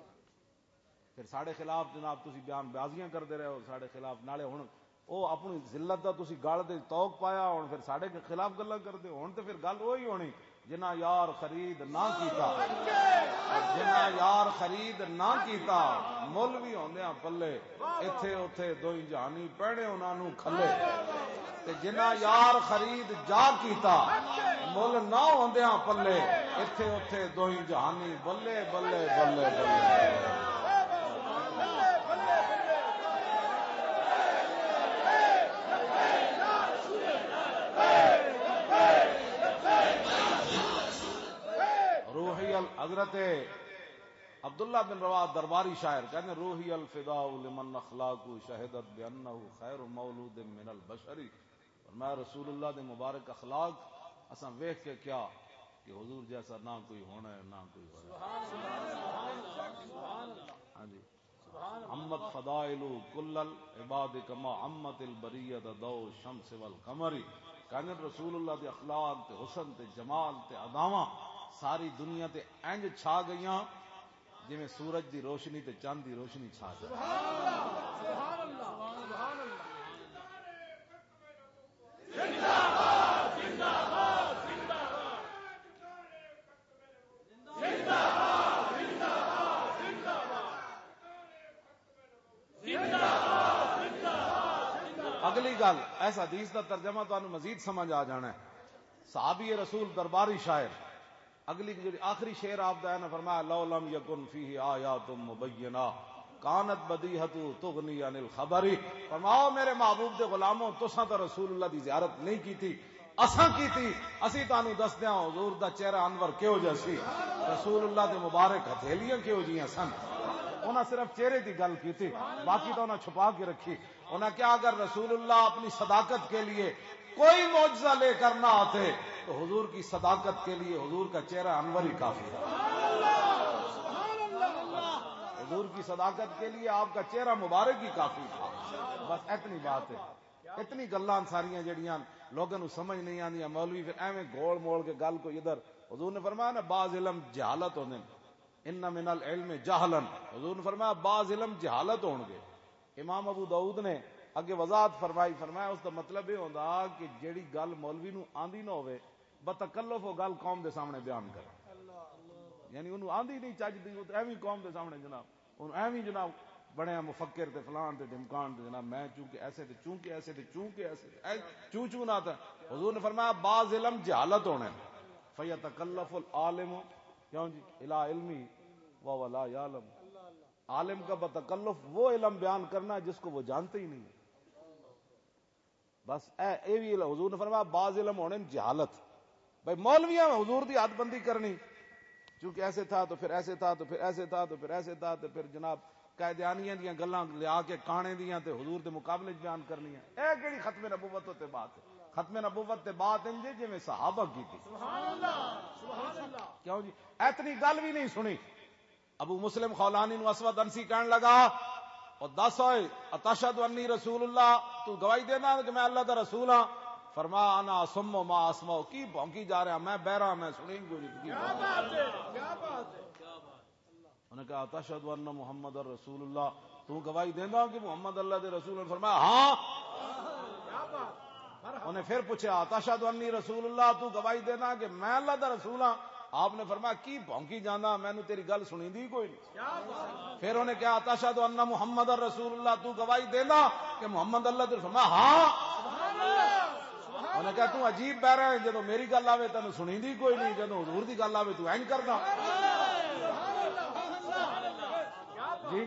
پھر ساڈے خلاف جناب تسی بیان بازیاں کردے رہے ہو ساڈے خلاف، نالے ہن او اپنی ذلت دا تسی گل دے توق پایا، ہن پھر ساڈے خلاف گلاں کردے ہو۔ ہن تے پھر گل وہی ہونی، جنہاں یار خرید نہ کیتا، جنہاں یار خرید نہ کیتا، مول وی ہوندیاں پلے، ایتھے اوتھے دوئی جہانی پینے انہاں نوں کھلے۔ تے جنہاں یار خرید جا کیتا، مل نہ ہوندیاں پلے، ایتھے اوتھے دوئی جہانی بلے، بلے، بلے، بلے۔ روحی ال-، حضرت عبداللہ بن رواحہ درباری شاعر کہندے، "روحی الفداء لمن اخلاقہ شہدت بانہ خیر مولود من البشر۔" فرمایا، رسول اللہ دے مبارک اخلاق اساں ویکھ کے کیا کہ حضور جیسا نہ کوئی ہونا ہے، نہ کوئی ہونا ہے۔ ہاں جی۔ عمت فضائل کل العباد کما عمت البریت ضوء الشمس والقمر۔ کہنے رسول اللہ دے اخلاق تے حسن تے جمال تے اداواں ساری دنیا تے انج چھا گئیاں جویں سورج دی روشنی تے چند دی روشنی چھا جائے۔ اس حدیث دا ترجمہ تانوں مزید سمجھ آ جانا ہے۔ صحابی رسول، درباری شاعر، اگلی جڑی آخری شعر آپ دا ہے نا، فرمایا، "لو لم یکن فیہ آیات مبینہ کانت بدیہۃ تغنی عن الخبر۔" فرماؤ، میرے محبوب دے غلاموں، تساں تو رسول اللہ دی زیارت نہیں کیتی، اساں کیتی۔ اسی تانوں دسدے ہاں حضور دا چہرہ انور کہو جہا سی، رسول اللہ دے مبارک ہتھیلیاں کہو جیاں سن۔ انہاں صرف چہرے دی گل کیتی، باقی تو انہاں چھپا کے رکھی۔ انہاں کہا، اگر رسول اللہ اپنی صداقت کے لیے کوئی معجزہ لے کر نہ آتے تو حضور کی صداقت کے لیے حضور کا چہرہ انور ہی کافی تھا۔ حضور کی صداقت کے لیے آپ کا چہرہ مبارک ہی کافی تھا۔ بس اتنی بات ہے۔ اتنی گلاں ساریاں جڑیاں لوگاں نوں سمجھ نہیں آندیاں، مولوی پھر ایویں گول مول کے گل کوئی ادھر۔ حضور نے فرمایا نا، بعض علم جہالت ہوندے نے، ان من العلم جہلا۔ حضور نے فرمایا، بعض علم جہالت ہون گے۔ امام ابو داؤد نے اگے وضاحت فرمائی، فرمایا، اس دا مطلب یہ ہوندا کہ جیڑی گل مولوی نوں آندی نہ ہوے، بتکلف وہ گل قوم دے سامنے بیان کرے۔ یعنی انہوں آندی نہیں چج دی، وہ تے ایویں قوم دے سامنے جناب، انہوں ایویں جناب بنیا مفکر تے فلان تے ڈھمکان تے جناب، میں چونکہ ایسے تے چونکہ ایسے تے چونکہ ایسے تے اے چوں چوں نہ تھا۔ حضور نے فرمایا، بعض علم جہالت ہونے، فیتکلف العالم، کیوں جی، الا علمی وهو لا یعلم۔ عالم کا بتکلف وہ علم بیان کرنا جس کو وہ جانتے ہی نہیں۔ بس اے، اے بھی علم، حضور نے فرمایا، بعض علم ہونے جہالت۔ بھائی، مولویاں حضور دی حد بندی کرنی، چونکہ ایسے تھا تو پھر ایسے تھا تو پھر ایسے تھا تو پھر ایسے تھا تو پھر جناب قائدیانیاں دیاں گلاں لیا کے کانے دیاں تے حضور دے مقابلے چ بیان کرنی ہے۔ اے کیڑی ختم نبوت تے بات ہے؟ ختم نبوت تے بات انجے جویں صحابہ کی تھی۔ کیوں جی؟ اتنی گل بھی نہیں سنی۔ ابو مسلم خولانی نو اسود انسی کہن لگا، "او دس ہوئے، اتشہد انی رسول اللہ، تو گواہی دینا کہ میں اللہ دا رسول ہاں؟" فرمایا، "انا اصم ما اسمع، کی بھونکی جا رہا، میں بہرا، میں سنی کوئی نہیں۔" کیا بات ہے، کیا بات ہے۔ انہوں نے کہا، "اتشہد ان محمد رسول اللہ، تو گواہی دینا کہ محمد اللہ دے رسول ہیں؟" فرمایا، "ہاں۔" انہیں پھر پوچھا، "اتشہد انی رسول اللہ، تو گواہی دینا کہ میں اللہ دا رسول ہاں؟" آپ نے فرمایا، "کی بھونکی جانا، مینوں تیری گل سنیندی کوئی نہیں۔" پھر انہیں کہا، "اتشہد ان محمد رسول اللہ، تو گواہی دینا کہ محمد اللہ دے؟" فرمایا، "ہاں۔" انہیں کہا، "تو عجیب بہرا ہے، جدوں میری گل آوے تینوں سنیندی کوئی نہیں، جدوں حضور دی گل آوے تو اینج کردا۔" جی،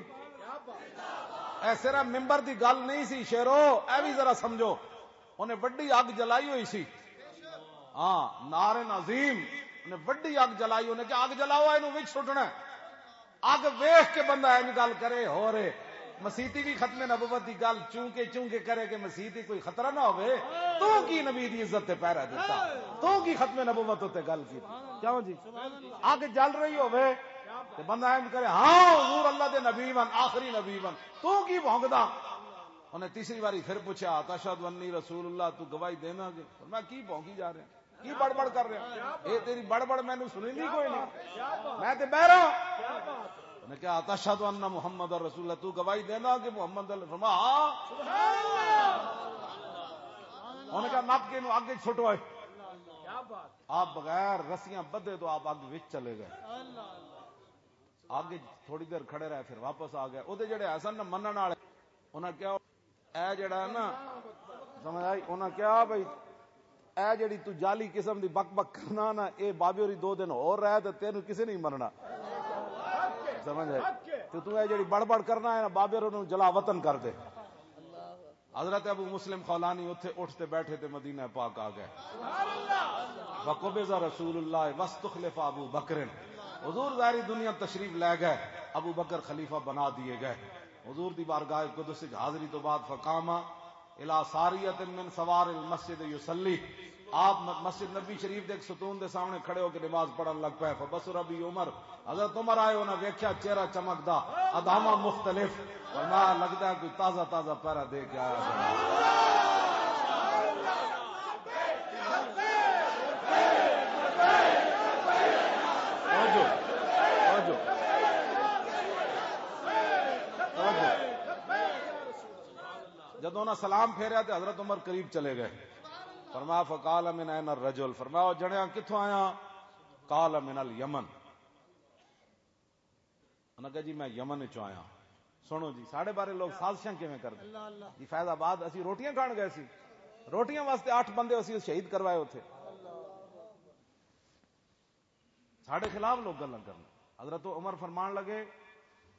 اے صرف ممبر دی گل نہیں سی شیرو، اے بھی ذرا سمجھو۔ انہیں وڈی اگ جلائی ہوئی سی۔ ہاں، نار عظیم۔ انہیں وڈی اگ جلائی، انہیں کہ، "اگ جلاؤ، اینوں وچ سٹنا ہے۔" اگ ویکھ کے بندہ اینج گل کرے، ہو رہے۔ مسیتی بھی ختم نبوت دی گل چونکہ چونکہ کرے کہ مسیتی کوئی خطرہ نہ ہوئے۔ تو کی نبی دی عزت تے پہرا دیتا؟ تو کی ختم نبوت تے گل کی؟ کیوں جی؟ اگ جل رہی ہوئے تے بندہ اینج کرے، "ہاں، حضور اللہ دے نبی ون، آخری نبی ون، تو کی بھونکدا؟" انہیں تیسری باری پھر پوچھا، "اتشہد انی رسول اللہ، تو گواہی دینا کہ؟" فرمایا، "کی بھونکی جا رہے ہیں؟ کی بڑبڑ کر رہے ہیں؟ اے تیری بڑبڑ مینوں سنیندی کوئی نہیں، میں تے بہرا۔" انہیں کہا، "اتشہد ان محمد رسول اللہ، تو گواہی دینا کہ محمد اللہ؟" فرمایا، "ہاں۔" انہیں کہا، "نپ کے انہوں اگ وچ سٹو۔" آپ بغیر رسیاں بدھے تو آپ اگ وچ چلے گئے۔ اگ وچ تھوڑی دیر کھڑے رہے، پھر واپس آ گئے۔ او دے جڑے حسن نہ منن والے، انہاں کیا، اے جڑا ہے نا، سمجھ آئی؟ انہاں کیا بھائی، اے جڑی تو جعلی قسم دی بک بک کرنا نا، اے بابے ہوری دو دن ہور رہ تے تینوں کسے نہیں مرنا۔ سمجھ آئی؟ تے تو اے جڑی بڑبڑ کرنا ہے نا، بابے ہوراں نوں جلا وطن کر دے۔ حضرت ابو مسلم خولانی اتھے اٹھ تے بیٹھے تے مدینہ پاک آ گئے۔ وقبض رسول اللہ واستخلف ابو بکر۔ حضور ظاہری دنیا تشریف لے گئے، ابو بکر خلیفہ بنا دیے گئے۔ حضور دی بارگاہ قدس وچ حاضری تو بعد فقام الی ساریۃ من سوار المسجد یصلی۔ آپ م-، مسجد نبی شریف دے ایک ستون دے سامنے کھڑے ہو کے نماز پڑھن لگ پے۔ فبصر بی عمر، حضرت عمر آئے، انہاں ویکھیا چہرہ چمکدا، ادامہ مختلف، فرمایا، "لگدا ہے کوئی تازہ تازہ پیرا دے کے آیا ہے۔" توجہ، توجہ، توجہ۔ جدوں انہاں سلام پھیریا تے حضرت عمر قریب چلے گئے۔ فرمایا، "فقال من این الرجل؟" فرمایا، "او جنیا کتھوں آیا؟" قال، "من الیمن۔" انہاں کہا، "جی میں یمن وچوں آیا۔" سنو جی، ساڈے بارے لوگ سازشاں کیویں کردے؟ جی، فیض آباد اسی روٹیاں کھان گئے سی، روٹیاں واسطے اٹھ بندے اسی شہید کروائے اتھے۔ ساڈے خلاف لوگ گلاں کرن۔ حضرت عمر فرمان لگے،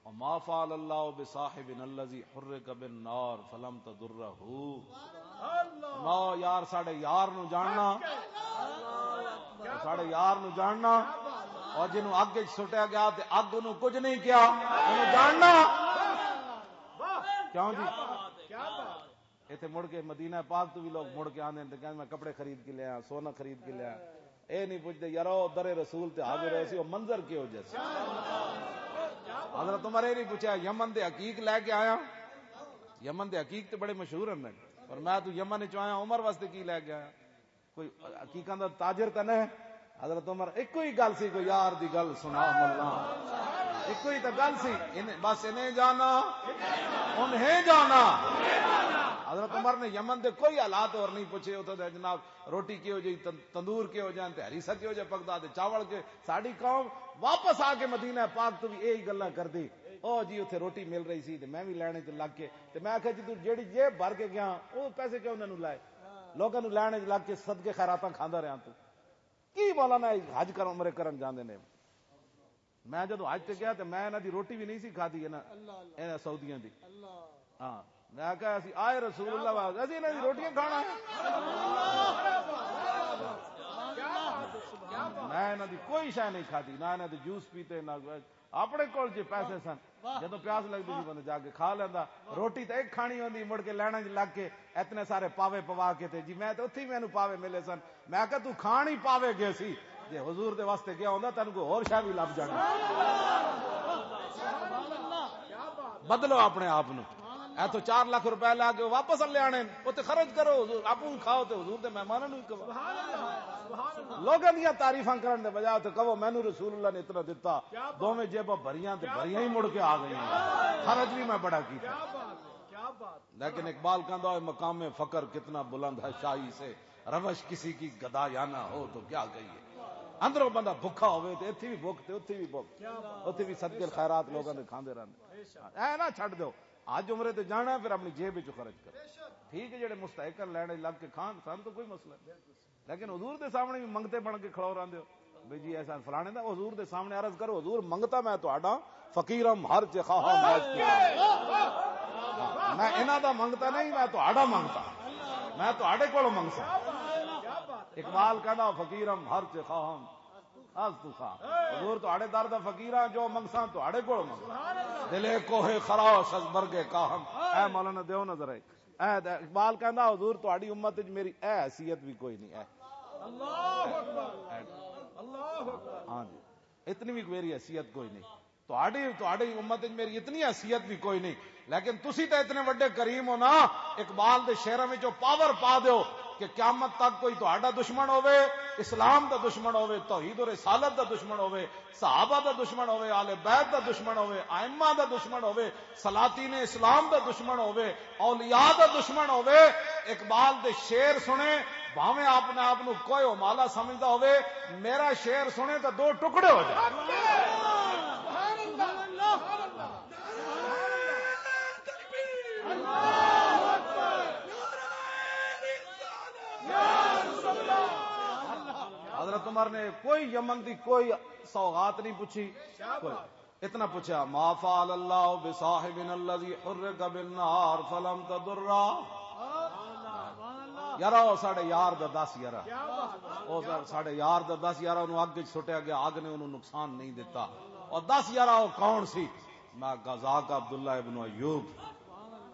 "وما فعل اللہ بصاحب الذی حرک بالنار فلم تضرہ۔" فرماؤ، یار، ساڈے یار نو جاننا، ساڈے یار نو جاننا، اور جنوں اگ وچ سٹیا گیا تے اگ نو کچھ نہیں کیا، انہوں جاننا۔ کیوں جی؟ ایتھے مڑ کے مدینہ پاک تو بھی لوگ مڑ کے آندے نے تے کہندے، "میں کپڑے خرید کے لیا، سونا خرید کے لیا۔" اے نہیں پوچھتے، "یارو، در رسول تے حاضر ہوئے سی، وہ منظر کیہو جہا سی؟" حضرت عمر اے نہیں پوچھا، "یمن دے عقیق لے کے آیا؟" یمن دے عقیق تے بڑے مشہور ہیں، پر میں تو یمن وچ آیا، عمر واسطے کی لے کے آیا؟ کوئی عقیقاں دا تاجر تے نہیں۔ حضرت عمر، ایک کوئی گل سی، کوئی یار دی گل سنا ملا، ایک کوئی تے گل سی، انہیں، بس انہیں جانا، انہیں جانا۔ حضرت عمر نے یمن دے کوئی حالات اور نہیں پوچھے، اتھے دے جناب روٹی کیہو جہی، تن-، تندور کیہو جہا، تے ہریسہ کیہو جہا پکدا، تے چاول کے۔ ساڈی قوم واپس آ کے مدینہ پاک تو بھی یہی گلاں کردی، "او جی، اتھے روٹی مل رہی سی تے میں بھی لینے تے لگ کے۔" تے میں آکھیا، "جی تو جیڑی جیب بھر کے گیا، او پیسے کیوں انہاں نوں لائے؟ لوکاں نوں لینے لگ کے صدقے خیراتاں کھاندا رہیا تو۔" کی مولانا حج کر، عمرے کرن جاندے نے؟ میں جدوں حج تے گیا تے میں انہاں دی روٹی بھی نہیں سی کھادی، انہاں، انہاں سعودیاں دی۔ ہاں، میں کہا، "اسی آئے رسول اللہ واسطے، اسی انہاں دی روٹیاں کھانا ہے۔" میں انہاں دی کوئی شے نہیں کھادی، نہ انہاں دے جوس پیتے، نہ اپنے کول جے پیسے سن، جدوں پیاس لگدی سی بندہ جا کے کھا لیندا۔ روٹی تے ایک کھانی ہوندی، مڑ کے لائناں وچ لگ کے اتنے سارے پاوے پوا کے تے جی، میں تے اتھے ہی مینوں پاوے ملے سن۔ میں کہا، "تو کھان ہی پاوے گئے سی، جے حضور دے واسطے گیا ہوندا، تینوں کوئی ہور شے بھی لب جانا۔" بدلو اپنے آپ نو۔ اے تو چار لاکھ روپے لا کے واپس لے آنے، او تے خرچ کرو، حضور، آپ کھاؤ تے حضور دے مہماناں نوں وی کھواؤ۔ لوگاں دیاں تعریفاں کرن دے بجائے تے کہو، "مینوں رسول اللہ نے اتنا دتا۔" دوویں جیباں بھریاں تے بھریاں ہی مڑ کے آ گئیاں۔ خرچ بھی میں بڑا کیتا۔ لیکن اقبال کہندا ہوئے، "مقام فقر کتنا بلند ہے شاہی سے، روش کسی کی گدایانہ ہو تو کیا کہیے۔" اندروں بندہ بھکھا ہوئے تے اتھی بھی بھکھ تے اتھی بھی بھکھ، اتھی بھی صدقے خیرات لوگاں دے کھاندے رہندے۔ اے نہ چھڈ دیو، حج عمرے تے جانا ہے، پھر اپنی جیب وچوں خرچ کرو۔ ٹھیک ہے، جڑے مستحق ہیں، لینے لگ کے کھان، سانوں تو کوئی مسئلہ نہیں۔ لیکن حضور دے سامنے بھی منگتے بن کے کھڑو رہندے ہو، بھئی جی ایسا فلانے دا۔ حضور دے سامنے عرض کرو، "حضور، منگتا میں تہاڈا، فقیرم ہر چ خواہاں ماج کیتا۔" میں انہاں دا منگتا نہیں، میں تہاڈا منگتا، میں تہاڈے کولوں منگسا۔ اقبال کہندا، "فقیرم ہر چ خواہاں از تو خواہ۔" حضور، تہاڈے در دا فقیراں، جو منگساں تہاڈے کولوں منگساں۔ دلے کوہ خراش از برگ کاہن۔ اے مولانا، دیو نظر ایک۔ اے دے، اقبال کہندا، "حضور، تہاڈی امت وچ میری اے حیثیت بھی کوئی نہیں۔" اے۔ اللہ اکبر۔ اے۔ اللہ اکبر۔ ہاں جی، اتنی بھی میری حیثیت کوئی نہیں۔ تہاڈی، تہاڈی امت وچ میری اتنی حیثیت بھی کوئی نہیں۔ لیکن تسی تے اتنے وڈے کریم ہو نا، اقبال دے شعراں وچ او پاور پا دیو کہ قیامت تک کوئی تہاڈا دشمن ہووے، اسلام دا دشمن ہووے، توحید و رسالت دا دشمن ہووے، صحابہ دا دشمن ہووے، آل بیت دا دشمن ہووے، ائمہ دا دشمن ہووے، سلاطین اسلام دا دشمن ہووے، اولیاء دا دشمن ہووے، اقبال دے شعر سنے، بھاویں آپ نے آپ نو کوئی ہمالا سمجھدا ہووے، میرا شعر سنے تے دو ٹکڑے ہو جائے۔ حضرت عمر نے کوئی یمن دی کوئی سوغات نہیں پوچھی، کوئی۔ اتنا پوچھا، "ما فعل اللہ بصاحبنا الذی حرک بالنار فلم تضرہ؟" یارا، او ساڈے یار دا دس یارا، او سا-، ساڈے یار دا دس یارا، انہوں اگ وچ سٹیا گیا، اگ نے انہوں نقصان نہیں دیتا۔ اور دس یارا، او کون سی؟ میں کہا، "ذاک عبداللہ ابن ایوب۔"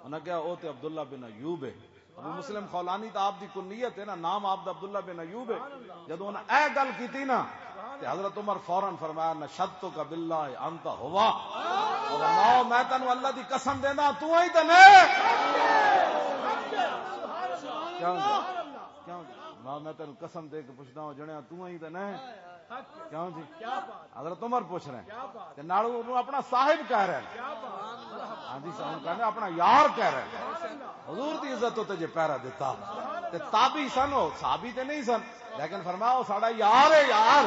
انہاں کہا، "او تے عبداللہ بن ایوب ہے۔" ابو مسلم خولانی تو آپ دی کنیت ہے نا، نام آپ دا عبداللہ بن ایوب ہے۔ جدوں انہاں اے گل کیتی نا، تے حضرت عمر فوراً فرمایا، "نشدتک باللہ انت ہوا۔" فرماؤ، میں تینوں اللہ دی قسم دینا، تو ہی تے نہیں۔ کیوں جی؟ کیوں جی؟ میں، میں تینوں قسم دے کے پوچھدا ہوں، جنیا، تو ہی تے نہیں۔ کیوں جی؟ حضرت عمر پوچھ رہے ہیں۔ تے نال انہوں اپنا صاحب کہہ رہے ہیں۔ ہاں جی، صاحب کہنے اپنا یار کہہ رہے ہیں۔ حضور دی عزت تے جے پیرا دیتا۔ تے تابعی سن، او صحابی تے نہیں سن، لیکن فرمایا، "او ساڈا یار ہے، یار۔"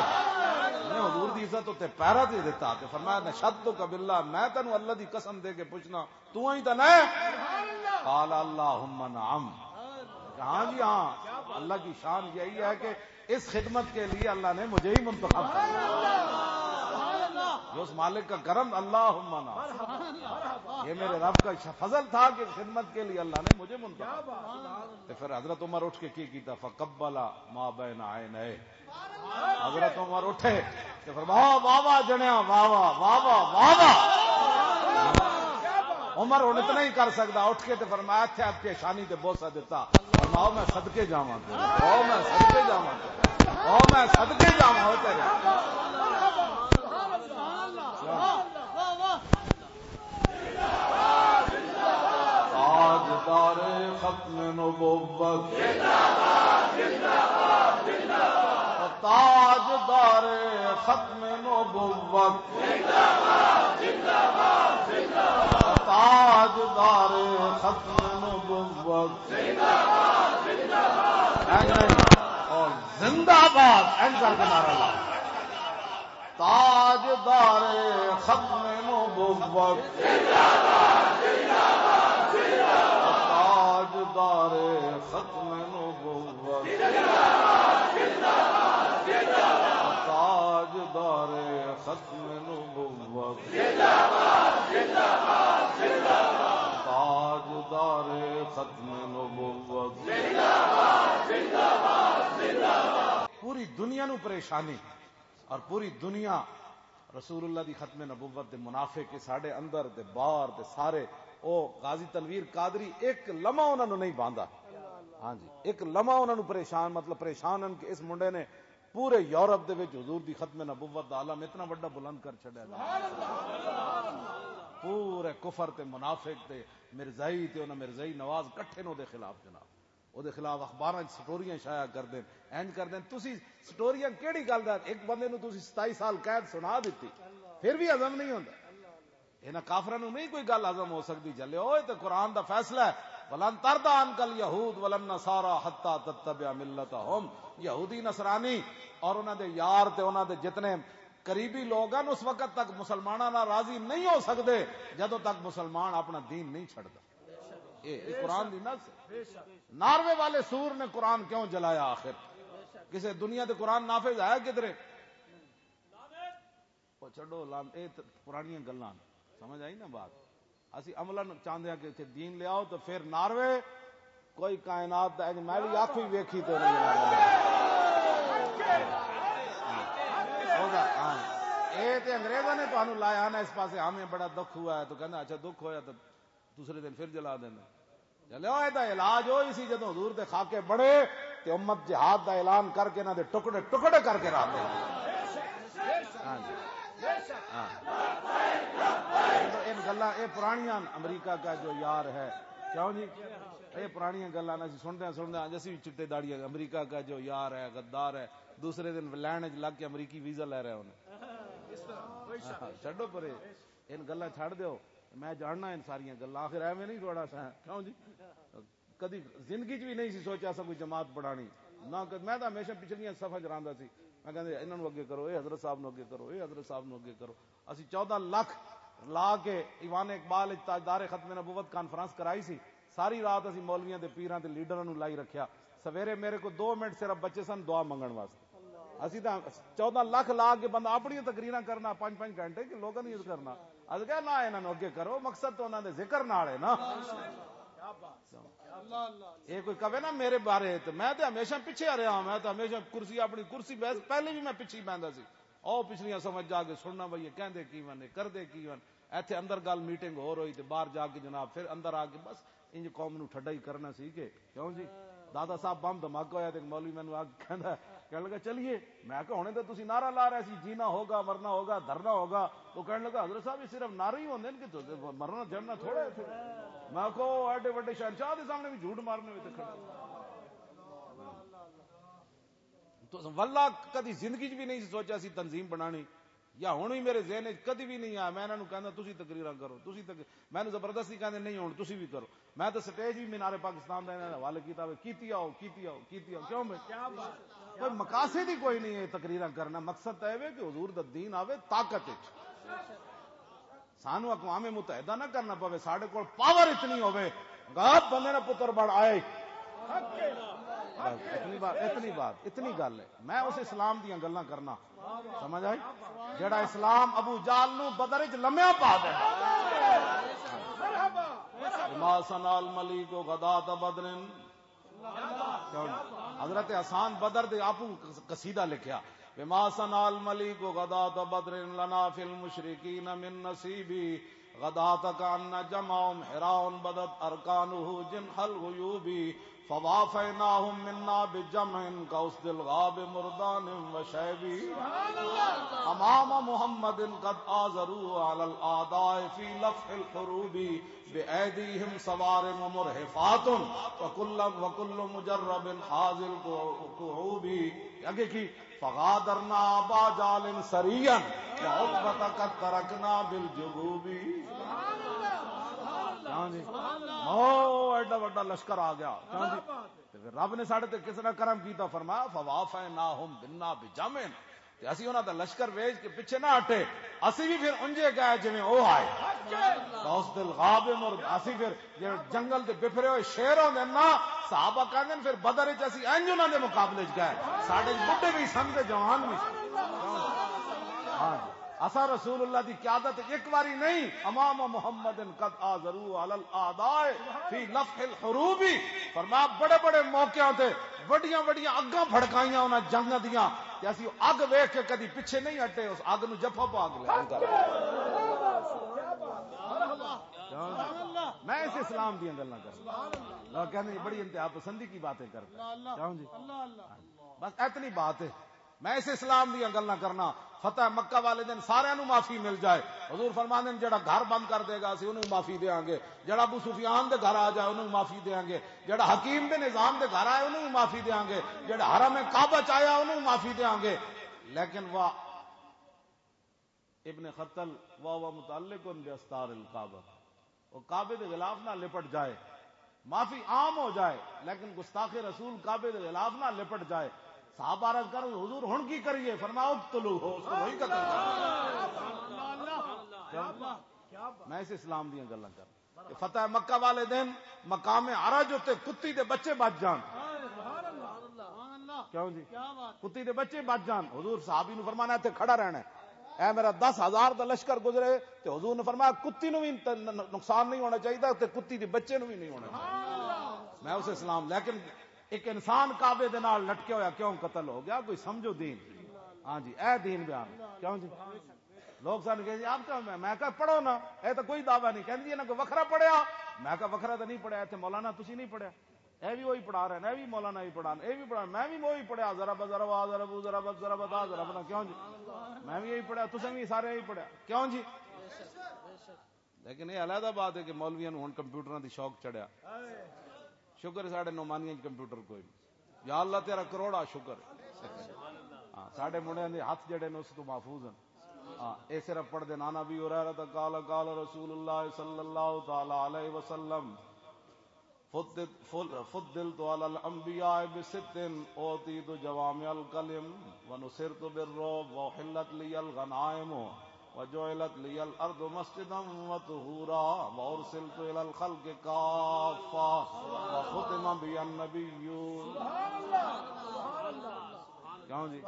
حضور دی عزت تے پیرا تے دتا، تے فرمایا، "نشہدک باللہ، میں تینوں اللہ دی قسم دے کے پوچھنا، تو ہی تے نہیں؟" قال، "اللہم نعم۔" ہاں جی ہاں، اللہ کی شان یہی ہے کہ اس خدمت کے لیے اللہ نے مجھے ہی منتخب کیا۔ جو اس مالک کا کرم، اللہم نعم، یہ میرے رب کا فضل تھا کہ اس خدمت کے لیے اللہ نے مجھے منتخب کیا۔ تو پھر حضرت عمر اٹھ کے کی کیتا؟ فقبل ما بین عینیہ۔ حضرت عمر اٹھے تے فرمایا، "واہ واہ جنیا، واہ واہ، واہ واہ، واہ واہ۔" عمر ہن اتنا ہی کر سکدا، اٹھ کے تے فرمایا، اتھے آپ پیشانی تے بوسہ دتا، فرماؤ، "میں صدقے جاواں تیرے، او میں صدقے جاواں تیرے، او میں صدقے جاواں او تیرے۔" تاجدار ختم نبوت۔ تاجدار ختم نبوت۔ تاجدار ختم نبوت۔ اور زندہ باد، این کر کے نعرہ لا۔ تاجدار ختم نبوت۔ تاجدار ختم نبوت۔ تاجدار ختم نبوت۔ تاجدار ختم نبوت۔ پوری دنیا نو پریشانی، اور پوری دنیا رسول اللہ دی ختم نبوت دے منافق، ساڈے اندر دے باہر دے سارے۔ او غازی تنویر قادری ایک لمحہ انہاں نوں نہیں باندا۔ ہاں جی، ایک لمحہ انہاں نوں پریشان، مطلب پریشان ہن کہ اس منڈے نے پورے یورپ دے وچ حضور دی ختم نبوت دا علم اتنا وڈا بلند کر چھڈیا۔ پورے کفر تے منافق تے مرزائی تے انہاں مرزائی نواز کٹھے نے او دے خلاف جناب۔ او دے خلاف اخباراں وچ سٹوریاں شائع کر دین، انج کر دین۔ تسی سٹوریاں کیڑی گل دا؟ ایک بندے نوں تسی ستائی سال قید سنا دتی، پھر بھی ہضم نہیں ہوندا۔ انہاں کافراں نوں نہیں کوئی گل ہضم ہو سکدی۔ جلے اوئے تے قرآن دا فیصلہ ہے، "ولن ترضى عنك اليهود ولا النصارى حتى تتبع ملتهم۔" یہودی نصرانی اور انہاں دے یار تے انہاں دے جتنے قریبی لوگ ہیں، اس وقت تک مسلماناں نال راضی نہیں ہو سکدے جدوں تک مسلمان اپنا دین نہیں چھڈدا۔ اے، اے قرآن دی نص ہے۔ ناروے والے سور نے قرآن کیوں جلایا آخر؟ کسے دنیا تے قرآن نافذ ہے کدھرے؟ او چھڈو، لان-، اے تے پرانیاں گلاں نے۔ سمجھ آئی نا بات؟ اسی عملاً چاہندے ہاں کہ اتھے دین لے آؤ، تو پھر ناروے کوئی کائنات دا، میں بھی آنکھوں ہی ویکھی تے نہیں۔ او دا، ہاں۔ اے تے انگریزاں نے تانوں لایا نا اس پاسے، ہمیں بڑا دکھ ہوا ہے، تو کہندا، "اچھا، دکھ ہویا تو دوسرے دن پھر جلا دینا۔" چلے، او دا علاج او ہی سی، جدوں حضور دے خاکے بڑے تے امت جہاد دا اعلان کر کے انہاں دے ٹکڑے ٹکڑے کر کے رکھ دے۔ ہاں جی۔ ہاں۔ ان گلاں، اے پرانیاں، امریکہ کا جو یار ہے، کیوں جی؟ اے پرانیاں گلاں نہ اسی سنتے ہیں، سنتے ہیں، اج اسی بھی چٹے داڑھی ہے، امریکہ کا جو یار ہے، غدار ہے، دوسرے دن لین وچ لگ کے امریکی ویزا لے رہے ہونے۔ ہاں، چھڈو پرے، ان گلاں چھڈ دیو۔ میں جاننا ان ساریاں گلاں، آخر ایویں نہیں تھوڑا سا، کیوں جی؟ کدی زندگی چ بھی نہیں سی سوچیا سا کوئی جماعت بنانی۔ نہ ک-، میں تو ہمیشہ پچھلیاں صفاں چ رہندا سی۔ میں کہندے، "انہاں نوں اگے کرو، اے حضرت صاحب نوں اگے کرو، اے حضرت صاحب نوں اگے کرو۔" اسی چودہ لکھ لا کے ایوان اقبال وچ تاجدار ختم نبوت کانفرنس کرائی سی۔ ساری رات اسی مولویاں دے، پیراں دے، لیڈراں نوں لائی رکھیا۔ سویرے میرے کو دو منٹ صرف بچے سن دعا منگن واسطے۔ اسی تاں چودہ لکھ لا کے بندہ اپنی تقریراں کرنا پنج پنج گھنٹے کہ لوگاں دی کرنا۔ اسی کہا، "نہ، انہاں نوں اگے کرو، مقصد تو انہاں دے ذکر نال ہے نا۔" یہ کوئی کہے نا میرے بارے، تو میں تو ہمیشہ پیچھے آ رہا ہوں، میں تو ہمیشہ کرسی، اپنی کرسی، بس پہلے بھی میں پیچھے ہی بہندا سی۔ او پچھلیاں سمجھ جا کے سننا بھائی، یہ کہندے کی ون، یہ کردے کی ون۔ ایتھے اندر گل میٹنگ ہو رہی تے باہر جا کے جناب پھر اندر آ کے بس انج قوم نو ٹھڈا ہی کرنا سی کہ کیوں جی؟ دادا صاحب بم دھماکہ ہویا تے ایک مولوی مینوں آ کے کہندا، کہن لگا، "چلیے۔" میں کہا، "ہنے تے تسی نعرہ لا رہے سی، جینا ہوگا، مرنا ہوگا، دھرنا ہوگا۔" تو کہن لگا، "حضرت صاحب، یہ صرف نعرے ہی ہوندے نے کہ تو مرنا جھڑنا تھوڑا ہے پھر۔" میں کہا، "او ایڈے وڈے شہنشاہ دے سامنے بھی جھوٹ مارنے ہوئے تے کھڑے۔" تو واللہ کدی زندگی چ بھی نہیں سی سوچا سی تنظیم بنانی۔ یا ہن وی میرے ذہن وچ کدی وی نہیں آیا۔ میں انہاں نوں کہندا، "تسی تقریراں کرو، تسی تقریر۔" مینوں زبردستی کہندے، "نہیں، ہن تسی وی کرو۔" میں تے سٹیج وی مینار پاکستان دا انہاں دے حوالے کیتا ہوئے، "کیتی آؤ، کیتی آؤ، کیتی آؤ۔" کیوں بھائی؟ کوئی مقاصد ہی کوئی نہیں ہے تقریراں کرنا۔ مقصد تاں اے وے کہ حضور دا دین آوے طاقت وچ۔ سانو اقوام متحدہ نہ کرنا پوے، ساڈے کول پاور اتنی ہوے، گا بندے نے پتر بڑ آئے۔ بس اتنی بات، اتنی بات، اتنی گل ہے۔ میں اس اسلام دیاں گلاں کرنا، سمجھ آئی؟ جڑا اسلام ابو جال نو بدر وچ لمیا پا دے۔ ما سنا الملک غدات بدر۔ کیوں؟ حضرت حسان بدر دے آپوں قصیدہ لکھیا، "بما صنع المليك غداة بدر لنا في المشركين من نصيب، غداة كأن جمعهم حراء بدت أركانه جنح الغيوب، فوافيناهم منا بجمع كأسد الغاب مردان وشيب۔ أمام محمد قد آزروا على الأعداء في لفح الحروب۔" بأيديهم صوارم مرهفات وكل، وكل مجرب حاذ الكعوب۔ اگے کی؟ فغادرنا أبا جهل سريا وعتبة قد تركنا بالجبوب۔ کیوں جی؟ او ایڈا وڈا لشکر آ گیا۔ کیوں جی؟ تے پھر رب نے ساڈے تے کس طرح کرم کیتا؟ فرمایا، "فوافیناہم بنا بجمع۔" تے اسی انہاں دا لشکر ویچ کے پیچھے نہ ہٹے، اسی بھی پھر انجے گئے جویں او آئے۔ غوث دل غاب مرد، اسی پھر جے جنگل دے بپھرے ہوئے شیر ہوندے نا، صحابہ کہندے نے، "پھر بدر وچ اسی انج انہاں دے مقابلے وچ گئے، ساڈے وچ بڈھے بھی سن تے جوان بھی سن۔" ہاں جی۔ اساں رسول اللہ دی قیادت ایک واری نہیں، امام محمد قد آزروا علی الاعداء فی لفح الحروب۔ فرمایا، بڑے بڑے موقعاں تے وڈیاں وڈیاں اگاں بھڑکائیاں انہاں جنگاں دیاں، تے اسی اگ ویکھ کے کدی پیچھے نہیں ہٹے، اس اگ نو جفا پا کے لے۔ میں اس اسلام دیاں گلاں کردا۔ لوگ کہندے، "بڑی انتہا پسندی کی باتیں کرتا ہے۔" کیوں جی؟ بس اتنی بات ہے۔ میں اس اسلام دیاں گلاں کرنا۔ فتح مکہ والے دن سارے نو معافی مل جائے۔ حضور فرماندے نے، "جڑا گھر بند کر دے گا، اسی انہوں معافی دیاں گے۔ جڑا ابو سفیان دے گھر آ جائے، انہوں معافی دیاں گے۔ جڑا حکیم بن نظام دے گھر آئے، انہوں معافی دیاں گے۔ جڑا حرم کعبہ چ آیا، انہوں معافی دیاں گے۔" لیکن وہ ابن قتل وهو متعلق باستار الکعبہ، وہ کعبے دے غلاف نہ لپٹ جائے، معافی عام ہو جائے، لیکن گستاخ رسول کعبے دے غلاف نہ لپٹ جائے۔ صحابہ عرض کر، "حضور، ہن کی کریے؟" فرمایا، "اقتلوہ، اس کو وہی قتل کرو۔" میں اس اسلام دیاں گلاں کر تے فتح مکہ والے دن مقام عرج اتے کتی دے بچے بچ جان۔ کیوں جی؟ کتی دے بچے بچ جان۔ حضور صحابی نو فرمانا، "اتھے کھڑا رہنا ہے۔" اے میرا دس ہزار دا لشکر گزرے تے حضور نے فرمایا، "کتی نو بھی ت-، ن-، ن-، نقصان نہیں ہونا چاہیے تے کتی دے بچے نو بھی نہیں ہونا چاہیے۔" میں اسے سلام، لیکن ایک انسان کعبے دے نال لٹکے ہویا کیوں قتل ہو گیا؟ کوئی سمجھو دین۔ ہاں جی، اے دین بیان۔ کیوں جی؟ لوگ سن کہے جی، "آپ کیا؟" میں، میں کہا، "پڑھو نا، اے تو کوئی دعویٰ نہیں۔" کہندی، "انہاں کوئی وکھرا پڑھیا؟" میں کہا، "وکھرا تو نہیں پڑھیا، اتھے مولانا تسی نہیں پڑھیا، اے بھی وہی پڑھا رہے ہیں، اے بھی مولانا ہی پڑھا، اے بھی پڑھا، میں بھی وہی پڑھیا، ذرا بذرا وا، ذرا بو، ذرا بذ، ذرا بتا، ذرا بنا۔" کیوں جی؟ میں بھی یہی پڑھیا، تساں بھی سارے یہی پڑھیا۔ کیوں جی؟ لیکن یہ علیحدہ بات ہے کہ مولویاں نوں ہن کمپیوٹراں دی شوق چڑھیا۔ شکر ہے ساڈے نعمانیاں وچ کمپیوٹر کوئی نہیں۔ یا اللہ تیرا کروڑا شکر ہے۔ ہاں، ساڈے منڈیاں دے ہتھ جڑے نے اس تو محفوظ ہیں۔ ہاں، اے صرف پڑھ دے نانا بھی ہو رہا تھا، قال قال رسول اللہ صلی اللہ تعالی علیہ وسلم، فضلت، فضلت علی الانبیاء بست، اعطیت جوامع الکلم، ونصرت بالرعب، واحلت لی الغنائم، وجعلت لی الارض مسجدا وطہورا، وارسلت الی الخلق کافہ، وختم بی النبیون۔ کیوں جی؟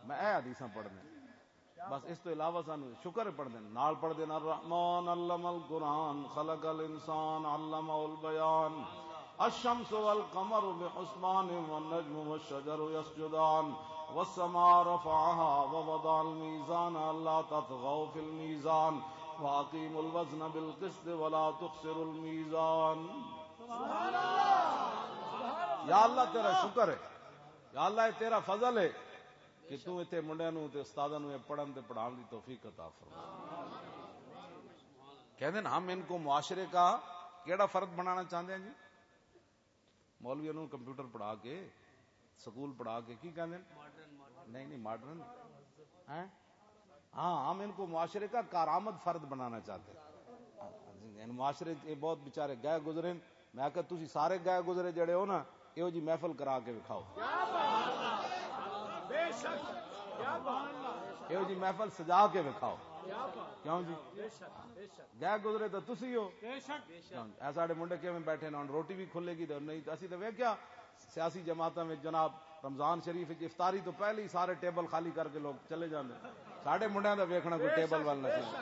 میں اے حدیثاں پڑھنے۔ بس اس تو علاوہ سانو شکر پڑھنے۔ نال پڑھدے نے، الرحمن علم القرآن، خلق الانسان، علمہ البیان۔ الشمس والقمر بحسبان والنجم والشجر يسجدان والسماء رفعها ووضع الميزان ألا تطغوا في الميزان وأقيموا الوزن بالقسط ولا تخسروا الميزان۔ یا اللہ تیرا شکر ہے، یا اللہ یہ تیرا فضل ہے کہ تو اتنے منڈیا نو تے استاداں نو یہ پڑھن تے پڑھان دی توفیق عطا فرما۔ کہندے نے، ہم ان کو معاشرے کا کیڑا فرد بنانا چاہتے ہیں جی؟ مولوی انہوں کمپیوٹر پڑھا کے، سکول پڑھا کے، کی کہندے نے؟ نہیں، نہیں، ماڈرن۔ ہیں؟ ہاں، ہم ان کو معاشرے کا کارآمد فرد بنانا چاہتے ہیں۔ یعنی معاشرے یہ بہت بیچارے گئے گزرے ہیں۔ میں کہا، "تسی سارے گئے گزرے جڑے ہو نا، ایہو جی محفل کرا کے وکھاؤ۔" ایہو جی محفل سجا کے وکھاؤ۔ کیوں جی؟ گئے گزرے تو تسی ہو۔ کیوں جی؟ اے ساڈے منڈے کیویں بیٹھے نے، ہن روٹی بھی کھلے گی تے نہیں، اسی تے ویکھیا سیاسی جماعتاں وچ جناب رمضان شریف وچ افطاری تو پہلے ہی سارے ٹیبل خالی کر کے لوگ چلے جاندے۔ ساڈے منڈیاں دا ویکھنا کوئی ٹیبل وال نہ سی۔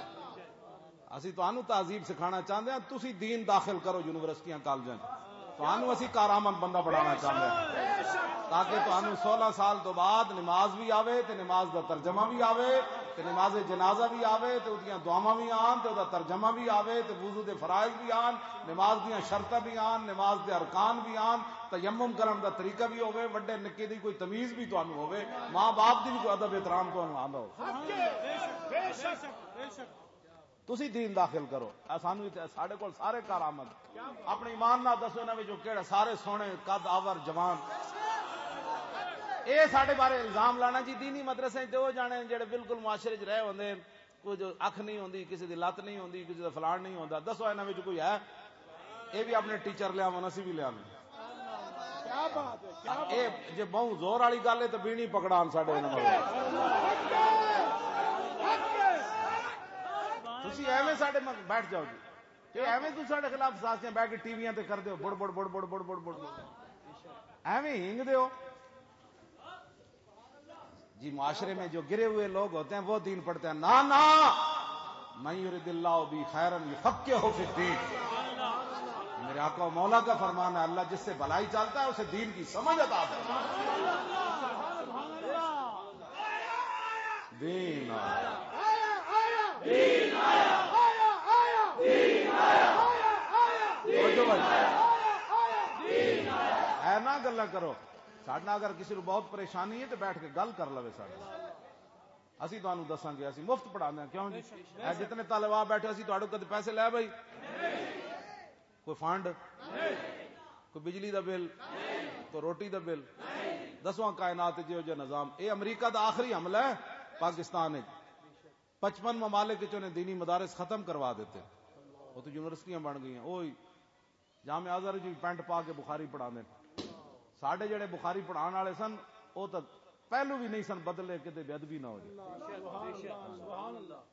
اسی تانوں تہذیب سکھانا چاہندے ہاں، تسی دین داخل کرو یونیورسٹیاں، کالجاں چ۔ تانوں اسی کارآمد بندہ بنانا چاہندے ہاں، تاکہ تانوں سولہ سال تو بعد نماز بھی آوے تے نماز دا ترجمہ بھی آوے تے نماز جنازہ بھی آوے تے اودیاں دعاواں بھی آن تے اودا ترجمہ بھی آوے تے وضو دے فرائض بھی آن، نماز دیاں شرطاں بھی آن، نماز دے ارکان بھی آن، تیمم کرن دا طریقہ بھی ہوے، وڈے نکے دی کوئی تمیز بھی تانوں ہوے، ماں باپ دی بھی کوئی ادب احترام تانوں آندا ہوے۔ تسی دین داخل کرو۔ اے سانو اتھے، ساڈے کول سارے کارآمد۔ اپنے ایمان نال دسو، انہاں وچوں کیڑا سارے سونے، قد آور، جوان؟ اے ساڈے بارے الزام لانا جی، دینی مدرسے تے او جانے جڑے بالکل معاشرے چ رہے ہوندے، کوئی جو اکھ نہیں ہوندی، کسی دی لت نہیں ہوندی، کسی دا فلان نہیں ہوندا۔ دسو، انہاں وچ کوئی ہے؟ اے بھی اپنے ٹیچر لے آون، اسی بھی لے آون۔ کیا بات ہے، کیا بات اے ہے۔ جے بہوں زور والی گل ہے تے بیڑی پکڑان ساڈے انہاں والے۔ تسی ایویں ساڈے مگ-، بیٹھ جاؤ جی۔ تے ایویں تسی ساڈے خلاف سازشاں بیٹھ کے ٹی ویاں تے کر دیو، بڑ بڑ بڑ بڑ بڑ بڑ بڑ بڑ۔ ایویں ہنگ دیو۔ جی، معاشرے میں جو گرے ہوئے لوگ ہوتے ہیں، وہ دین پڑھتے ہیں۔ نہ، نہ، من یرد اللہ بہ خیرا یفقہہ فی الدین۔ میرے آقا و مولا کا فرمان ہے، اللہ جس سے بھلائی چاہتا ہے، اسے دین کی سمجھ عطا کرتا ہے۔ دین آیا۔ توجہ بھائی۔ اے نہ گلاں کرو۔ ساڈے نال اگر کسی نوں بہت پریشانی ہے تے بیٹھ کے گل کر لوے ساڈے نال۔ اسی تانوں دساں گے، اسی مفت پڑھاندے ہاں، کیوں جی؟ اے جتنے طالب آ بیٹھے، اسی تہاڈوں کدے پیسے لے بھائی؟ کوئی فنڈ؟ کوئی بجلی دا بل؟ کوئی روٹی دا بل؟ دسواں کائنات جے ہو جے نظام۔ اے امریکہ دا آخری حملہ ہے پاکستان وچ۔ پچپن ممالک وچ انہیں دینی مدارس ختم کروا دیتے۔ وہ تو یونیورسٹیاں بن گئیاں۔ وہی جامعہ ازہر جی پینٹ پا کے بخاری پڑھاندے نے۔ ساڈے جڑے بخاری پڑھان والے سن، او تاں پہلو بھی نہیں سن بدلے، کدے بے ادبی نہ ہو جائے۔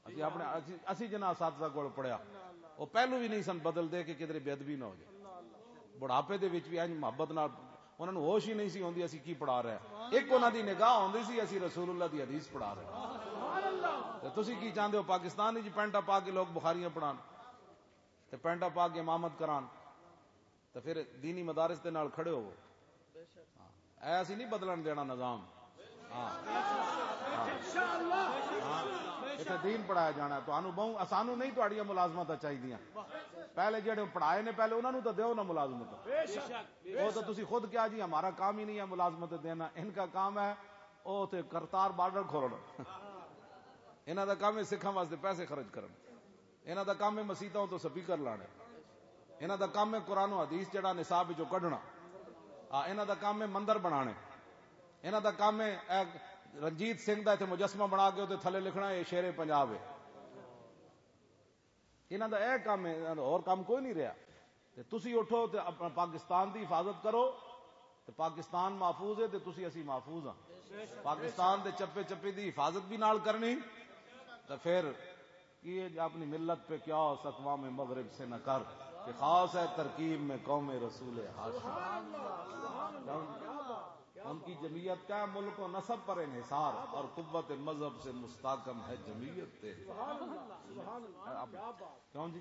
اسی اپنے، اسی، اسی جنہاں اساتذہ کول پڑھیا، او پہلو بھی نہیں سن بدلدے کہ کدے بے ادبی نہ ہو جائے۔ بڑھاپے دے وچ بھی انج محبت نال، انہاں نوں ہوش ہی نہیں سی ہوندی اسی کی پڑھا رہے ہیں۔ ایک انہاں دی نگاہ ہوندی سی، اسی رسول اللہ دی حدیث پڑھا رہے ہیں۔ تے تسی کی چاہندے ہو پاکستان وچ پینٹاں پا کے لوگ بخاریاں پڑھان؟ تے پینٹاں پا کے امامت کران، تے پھر دینی مدارس دے نال کھڑے ہوو۔ ہاں، اے اسی نہیں بدلن دینا نظام۔ ہاں۔ ہاں۔ ہاں۔ اتھے دین پڑھایا جانا ہے۔ تانوں بہوں، اسانوں نہیں تہاڈیاں ملازمتاں چاہیدیاں۔ پہلے جڑے پڑھائے نے، پہلے انہاں نوں تاں دیو نا ملازمت۔ وہ تو تسی خود کیا جی، ہمارا کام ہی نہیں ہے ملازمت دینا، ان کا کام ہے وہ تے کرتار بارڈر کھولنا۔ انہاں دا کام ہے سکھاں واسطے پیسے خرچ کرنا۔ انہاں دا کام ہے مسیتاں تو سپیکر لانے۔ انہاں دا کام ہے قرآن و حدیث جڑا نصاب وچوں کڈنا۔ آ، انہاں دا کام ہے مندر بنانے۔ انہاں دا کام ہے اے رنجیت سنگھ دا اتھے مجسمہ بنا کے تے تھلے لکھنا، "اے شیر پنجاب ہے۔" انہاں دا اے کام ہے، انہاں دا ہور کام کوئی نہیں رہیا۔ تے تسی اٹھو تے اپنا پاکستان دی حفاظت کرو، تے پاکستان محفوظ ہے تے تسی اسی محفوظ ہاں۔ پاکستان دے چپے چپے دی حفاظت بھی نال کرنی، تے پھر یہ اپنی ملت پہ کیا اس اقوام مغرب سے نہ کر کہ خاص ہے ترکیب میں قوم رسول ہاشم۔ ان کی جمعیت کا ملک و نسب پر انحصار اور قوت مذہب سے مستحکم ہے جمعیت تیری۔ اب کیوں جی؟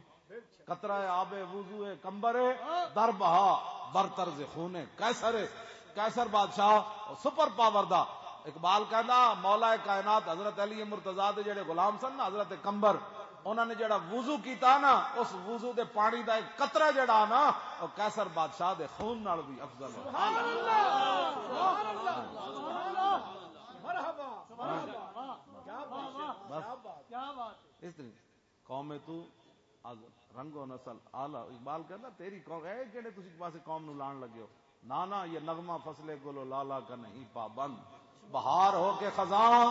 قطرہ آب وضو ہے، کمبر ہے، در بہا بر طرز خون ہے، قیصر ہے، قیصر بادشاہ اور سپر پاور دا۔ اقبال کہندا، مولا کائنات حضرت علی مرتضیٰ دے جڑے غلام سن نا، حضرت کمبر، انہاں نے جڑا وضو کیتا نا، اس وضو دے پانی دا ایک قطرہ جڑا نا، وہ قیصر بادشاہ دے خون نال بھی افضل ہے۔ سبحان اللہ، سبحان اللہ، سبحان اللہ، مرحبا، مرحبا۔ کیا بات ہے، بس۔ کیا بات ہے۔ اس طرح قوم تو از رنگ و نسل اعلیٰ۔ اقبال کہندا، "تیری قوم، اے کہڑے تسی پاسے قوم نو لان لگے ہو؟ نانا، یہ نغمہ فصل گل و لالا کا نہیں پابند، بہار ہو کے خزاں،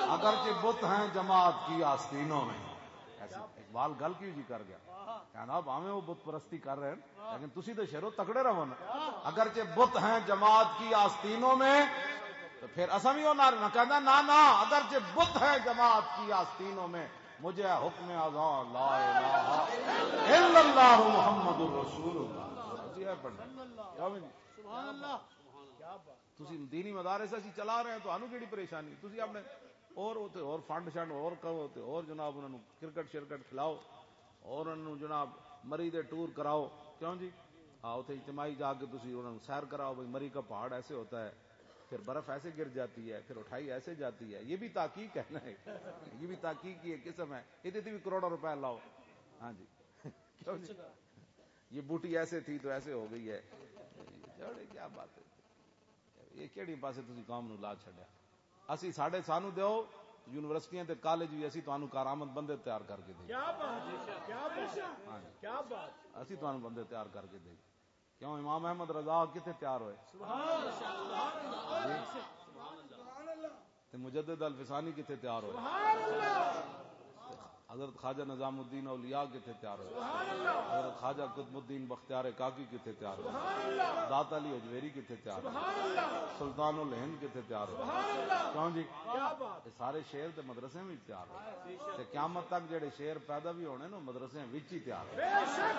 اگرچہ بت ہیں جماعت کی آستینوں میں۔ ایسے اقبال گل کیوں جی کر گیا؟ کہنا، بھاویں وہ بت پرستی کر رہے ہیں، لیکن تسی تو شیرو تکڑے رہو نا۔ اگرچہ بت ہیں جماعت کی آستینوں میں، تو پھر اساں بھی وہ نہ رہنا۔ کہنا، نہ، نہ، اگرچہ بت ہیں جماعت کی آستینوں میں، مجھے حکم اذاں لا الہ الا اللہ محمد رسول اللہ۔ جی ہے پڑھنا۔ کیا بھی نہیں؟ تسی دینی مدارس اسی چلا رہے ہیں، تانوں کیڑی پریشانی؟ تسی اپنے اور اوتے اور فنڈ شنڈ اور کرو، تے اور جناب انہاں نوں کرکٹ شرکٹ کھلاؤ، اور انہاں نوں جناب مری دے ٹور کراؤ۔ کیوں جی؟ ہاں، اوتے اجتماعی جا کے تسی انہاں نوں سیر کراؤ، بھئی مری کا پہاڑ ایسے ہوتا ہے، پھر برف ایسے گر جاتی ہے، پھر اٹھائی ایسے جاتی ہے۔ یہ بھی تحقیق ہے نا، یہ بھی تحقیق کی ایک قسم ہے۔ یہ بھی کروڑوں روپے لاؤ۔ ہاں جی۔ کیوں جی؟ یہ بوٹی ایسے تھی تو ایسے ہو گئی ہے۔ چھوڑے، کیا بات ہے؟ یہ کیڑی پاسے تسی قوم نو لا چھڈیا؟ اسی، ساڈے، سانو دیو یونیورسٹیاں تے کالج بھی، اسی تانوں کارآمد بندے تیار کر کے دیں۔ کیا بات ہے، کیا بات ہے، ہاں جی۔ کیا بات۔ اسی تانوں بندے تیار کر کے دیں۔ کیوں، امام احمد رضا کتھے تیار ہوئے؟ سبحان اللہ، سبحان اللہ۔ تے مجدد الفسانی کتھے تیار ہوئے؟ سبحان اللہ۔ حضرت خواجہ نظام الدین اولیاء کتھے تیار ہوئے؟ سبحان اللہ۔ حضرت خواجہ قطب الدین بختیار کاکی کتھے تیار ہوئے؟ سبحان اللہ۔ داتا علی اجمیری کتھے تیار ہوئے؟ سبحان اللہ۔ سلطان الہند کتھے تیار ہوئے؟ سبحان اللہ۔ کیوں جی؟ کیا بات۔ یہ سارے شعر تے مدرسے وچ تیار ہوئے۔ تے قیامت تک جڑے شعر پیدا بھی ہونے نا، مدرسے وچ ہی تیار ہوئے۔ بے شک۔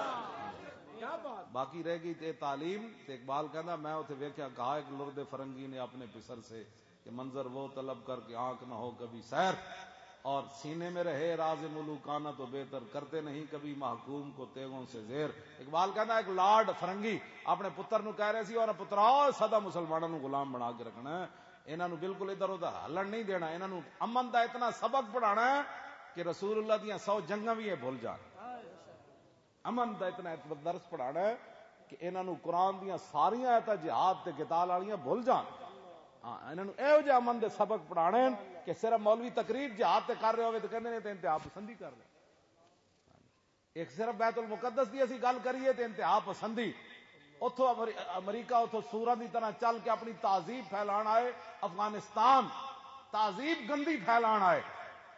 کیا بات۔ باقی رہ گئی تے تعلیم، تے اقبال کہندا، میں اتھے ویکھیا، کہا ایک لرد فرنگی نے اپنے پسر سے کہ منظر وہ طلب کر کے آنکھ نہ ہو کبھی سیر، اور سینے میں رہے راز ملوکانہ تو بہتر، کرتے نہیں کبھی محکوم کو تیغوں سے زیر۔ اقبال کہندا، ایک لارڈ فرنگی اپنے پتر نو کہہ رہے سی، اور پترا، سدا مسلماناں نو غلام بنا کے رکھنا ہے، انہاں نو بالکل ادھر ادھر ہلن نہیں دینا، انہاں نو امن دا اتنا سبق پڑھانا ہے کہ رسول اللہ دیاں سو جنگاں بھی یہ بھول جان۔ امن دا اتنا درس پڑھانا ہے کہ انہاں نوں قرآن دیاں ساریاں آیتاں جہاد تے قتال والیاں بھول جان۔ ہاں، انہاں نوں ایہو جہے امن دے سبق پڑھانے ہیں کہ صرف مولوی تقریر جہاد تے کر رہے ہوئے تے کہندے نے تے انتہا پسندی کر رہے۔ ایک صرف بیت المقدس دی اسی گل کریے تے انتہا پسندی۔ اتھوں امری-، امریکہ اتھوں سوراں دی طرح چل کے اپنی تہذیب پھیلان آئے، افغانستان تہذیب گندی پھیلان آئے۔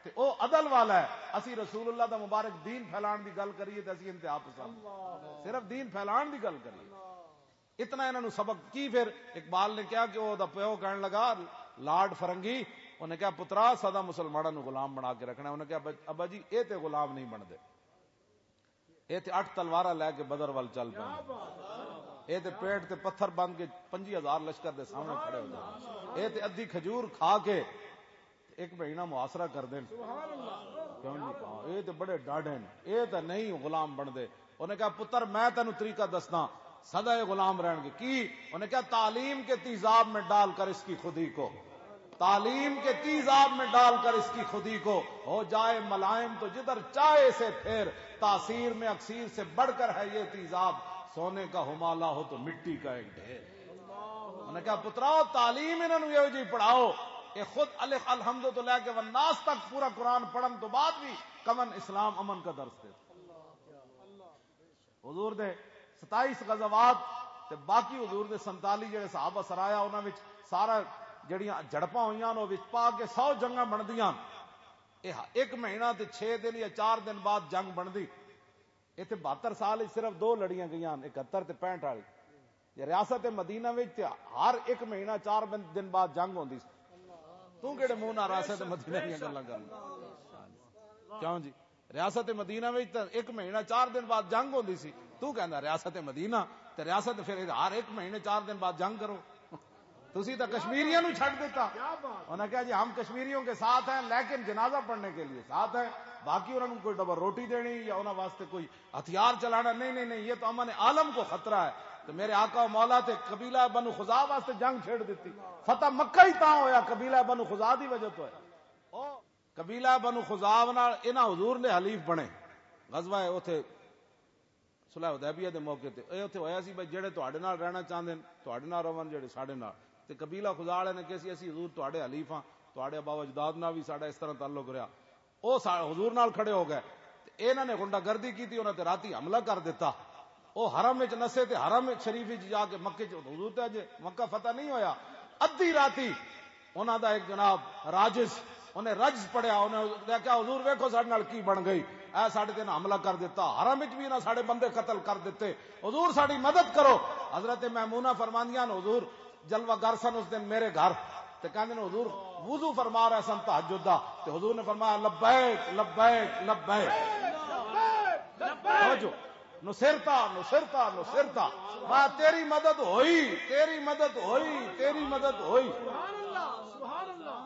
تے او عدل والا ہے۔ اسی رسول اللہ دا مبارک دین پھیلان دی گل کریے تے اسی انتہا پسند، صرف دین پھیلان دی گل کریے۔ اتنا انہاں نوں سبق کی؟ پھر اقبال نے کہا کہ او دا پیو کہن لگا، لارڈ فرنگی، انہیں کہا، پترا، سدا مسلماناں نوں غلام بنا کے رکھنا ہے۔ انہیں کہا، ابا جی، اے تے غلام نہیں بندے۔ اے تے اٹھ تلواراں لے کے بدر ول چل پے۔ اے تے پیٹ تے پتھر بند کے پنجی ہزار لشکر دے سامنے کھڑے ہو جاندے۔ اے تے ادھی کھجور کھا کے ایک مہینہ محاصرہ کر دین۔ کیوں جی؟ ہاں، اے تے بڑے ڈاڈے نے، اے تے نہیں غلام بندے۔ انہیں کہا، پتر، میں تینوں طریقہ دسنا، سدا اے غلام رہن گے۔ کی؟ انہیں کہا، تعلیم کے تیزاب میں ڈال کر اس کی خودی کو، تعلیم کے تیزاب میں ڈال کر اس کی خودی کو، ہو جائے ملائم تو جدھر چاہے اسے پھیر، تاثیر میں اکسیر سے بڑھ کر ہے یہ تیزاب، سونے کا ہمالہ ہو تو مٹی کا ایک ڈھیر۔ انہوں نے کہا، پترا، تعلیم انہوں نے یہ جی پڑھاؤ، یہ خود الف الحمد تو لے کے والناس تک پورا قرآن پڑھن تو بعد بھی کمن اسلام امن کا درس دیتا۔ حضور دے ستائیس غزوات تے باقی حضور دے سنتالی جڑے صحابہ سرایا، انہاں وچ سارا جڑیاں جھڑپاں ہوئیاں، انہاں وچ پا کے سو جنگاں بندیاں۔ یہ ایک مہینہ تے چھ دن یا چار دن بعد جنگ بندی۔ ایتھے بہتر سال وچ صرف دو لڑیاں گئیاں، اکہتر تے پینٹ والی۔ یہ ریاست مدینہ وچ تے ہر ایک مہینہ چار بن-، دن بعد جنگ ہوندی سی۔ تو کہڑے منہ نال ریاست مدینہ دیاں گلاں کرنا؟ کیوں جی؟ ریاست مدینہ وچ تے ایک مہینہ چار دن بعد جنگ ہوندی سی۔ تو کہندا ریاست مدینہ، تے ریاست پھر ہر ایک مہینے چار دن بعد جنگ کرو۔ تسی تو کشمیریوں نو چھڈ دیتا۔ انہاں کہا، جی، ہم کشمیریوں کے ساتھ ہیں، لیکن جنازہ پڑھنے کے لیے ساتھ ہیں، باقی انہاں نو کوئی ڈبل روٹی دینی یا انہاں واسطے کوئی ہتھیار چلانا، نہیں، نہیں، نہیں، یہ تو امن عالم کو خطرہ ہے۔ تو میرے آقا و مولا تے قبیلہ بنو خزاع واسطے جنگ چھیڑ دیتی، فتح مکہ ہی تاں ہویا، قبیلہ بنو خزاع دی وجہ تو ہے۔ او قبیلہ بنو خزاع نال انہاں حضور نے حلیف بنے، غزوہ ہے اوتھے صلح حدیبیہ دے موقع تے۔ اے اوتھے ہویا سی بھئی، جڑے تہاڈے نال رہنا چاہندے نے، تہاڈے نال رہون، جڑے ساڈے نال۔ تے قبیلہ خزاع والے نے کہا سی، اسی حضور تہاڈے حلیف ہاں، تہاڈے آبا و اجداد نال بھی ساڈا اس طرح تعلق رہیا۔ او سا-، حضور نال کھڑے ہو گئے۔ تے انہاں نے غنڈہ گردی کیتی، انہاں تے راتی حملہ کر دتا۔ او حرم وچ نسے تے حرم شریف وچ جا کے مکے چ، حضور تے اجے مکہ فتح نہیں ہویا۔ ادھی راتی انہاں دا ایک جناب راجس، انہیں رجز پڑھیا، انہیں کہا، "حضور، ویکھو ساڈے نال کی بن گئی، اے ساڈے تے حملہ کر دتا، حرم وچ بھی انہاں ساڈے بندے قتل کر دتے، حضور، ساڈی مدد کرو۔" حضرت میمونہ فرماندیاں نے، حضور جلوہ گر سن اس دن میرے گھر، تے کہندے نے، "حضور وضو فرما رہے سن تہجد دا، تے حضور نے فرمایا، 'لبیک، لبیک، لبیک۔'" توجہ۔ نصرتا، نصرتا، نصرتا۔ واہ، تیری مدد ہوئی، تیری مدد ہوئی، تیری مدد ہوئی۔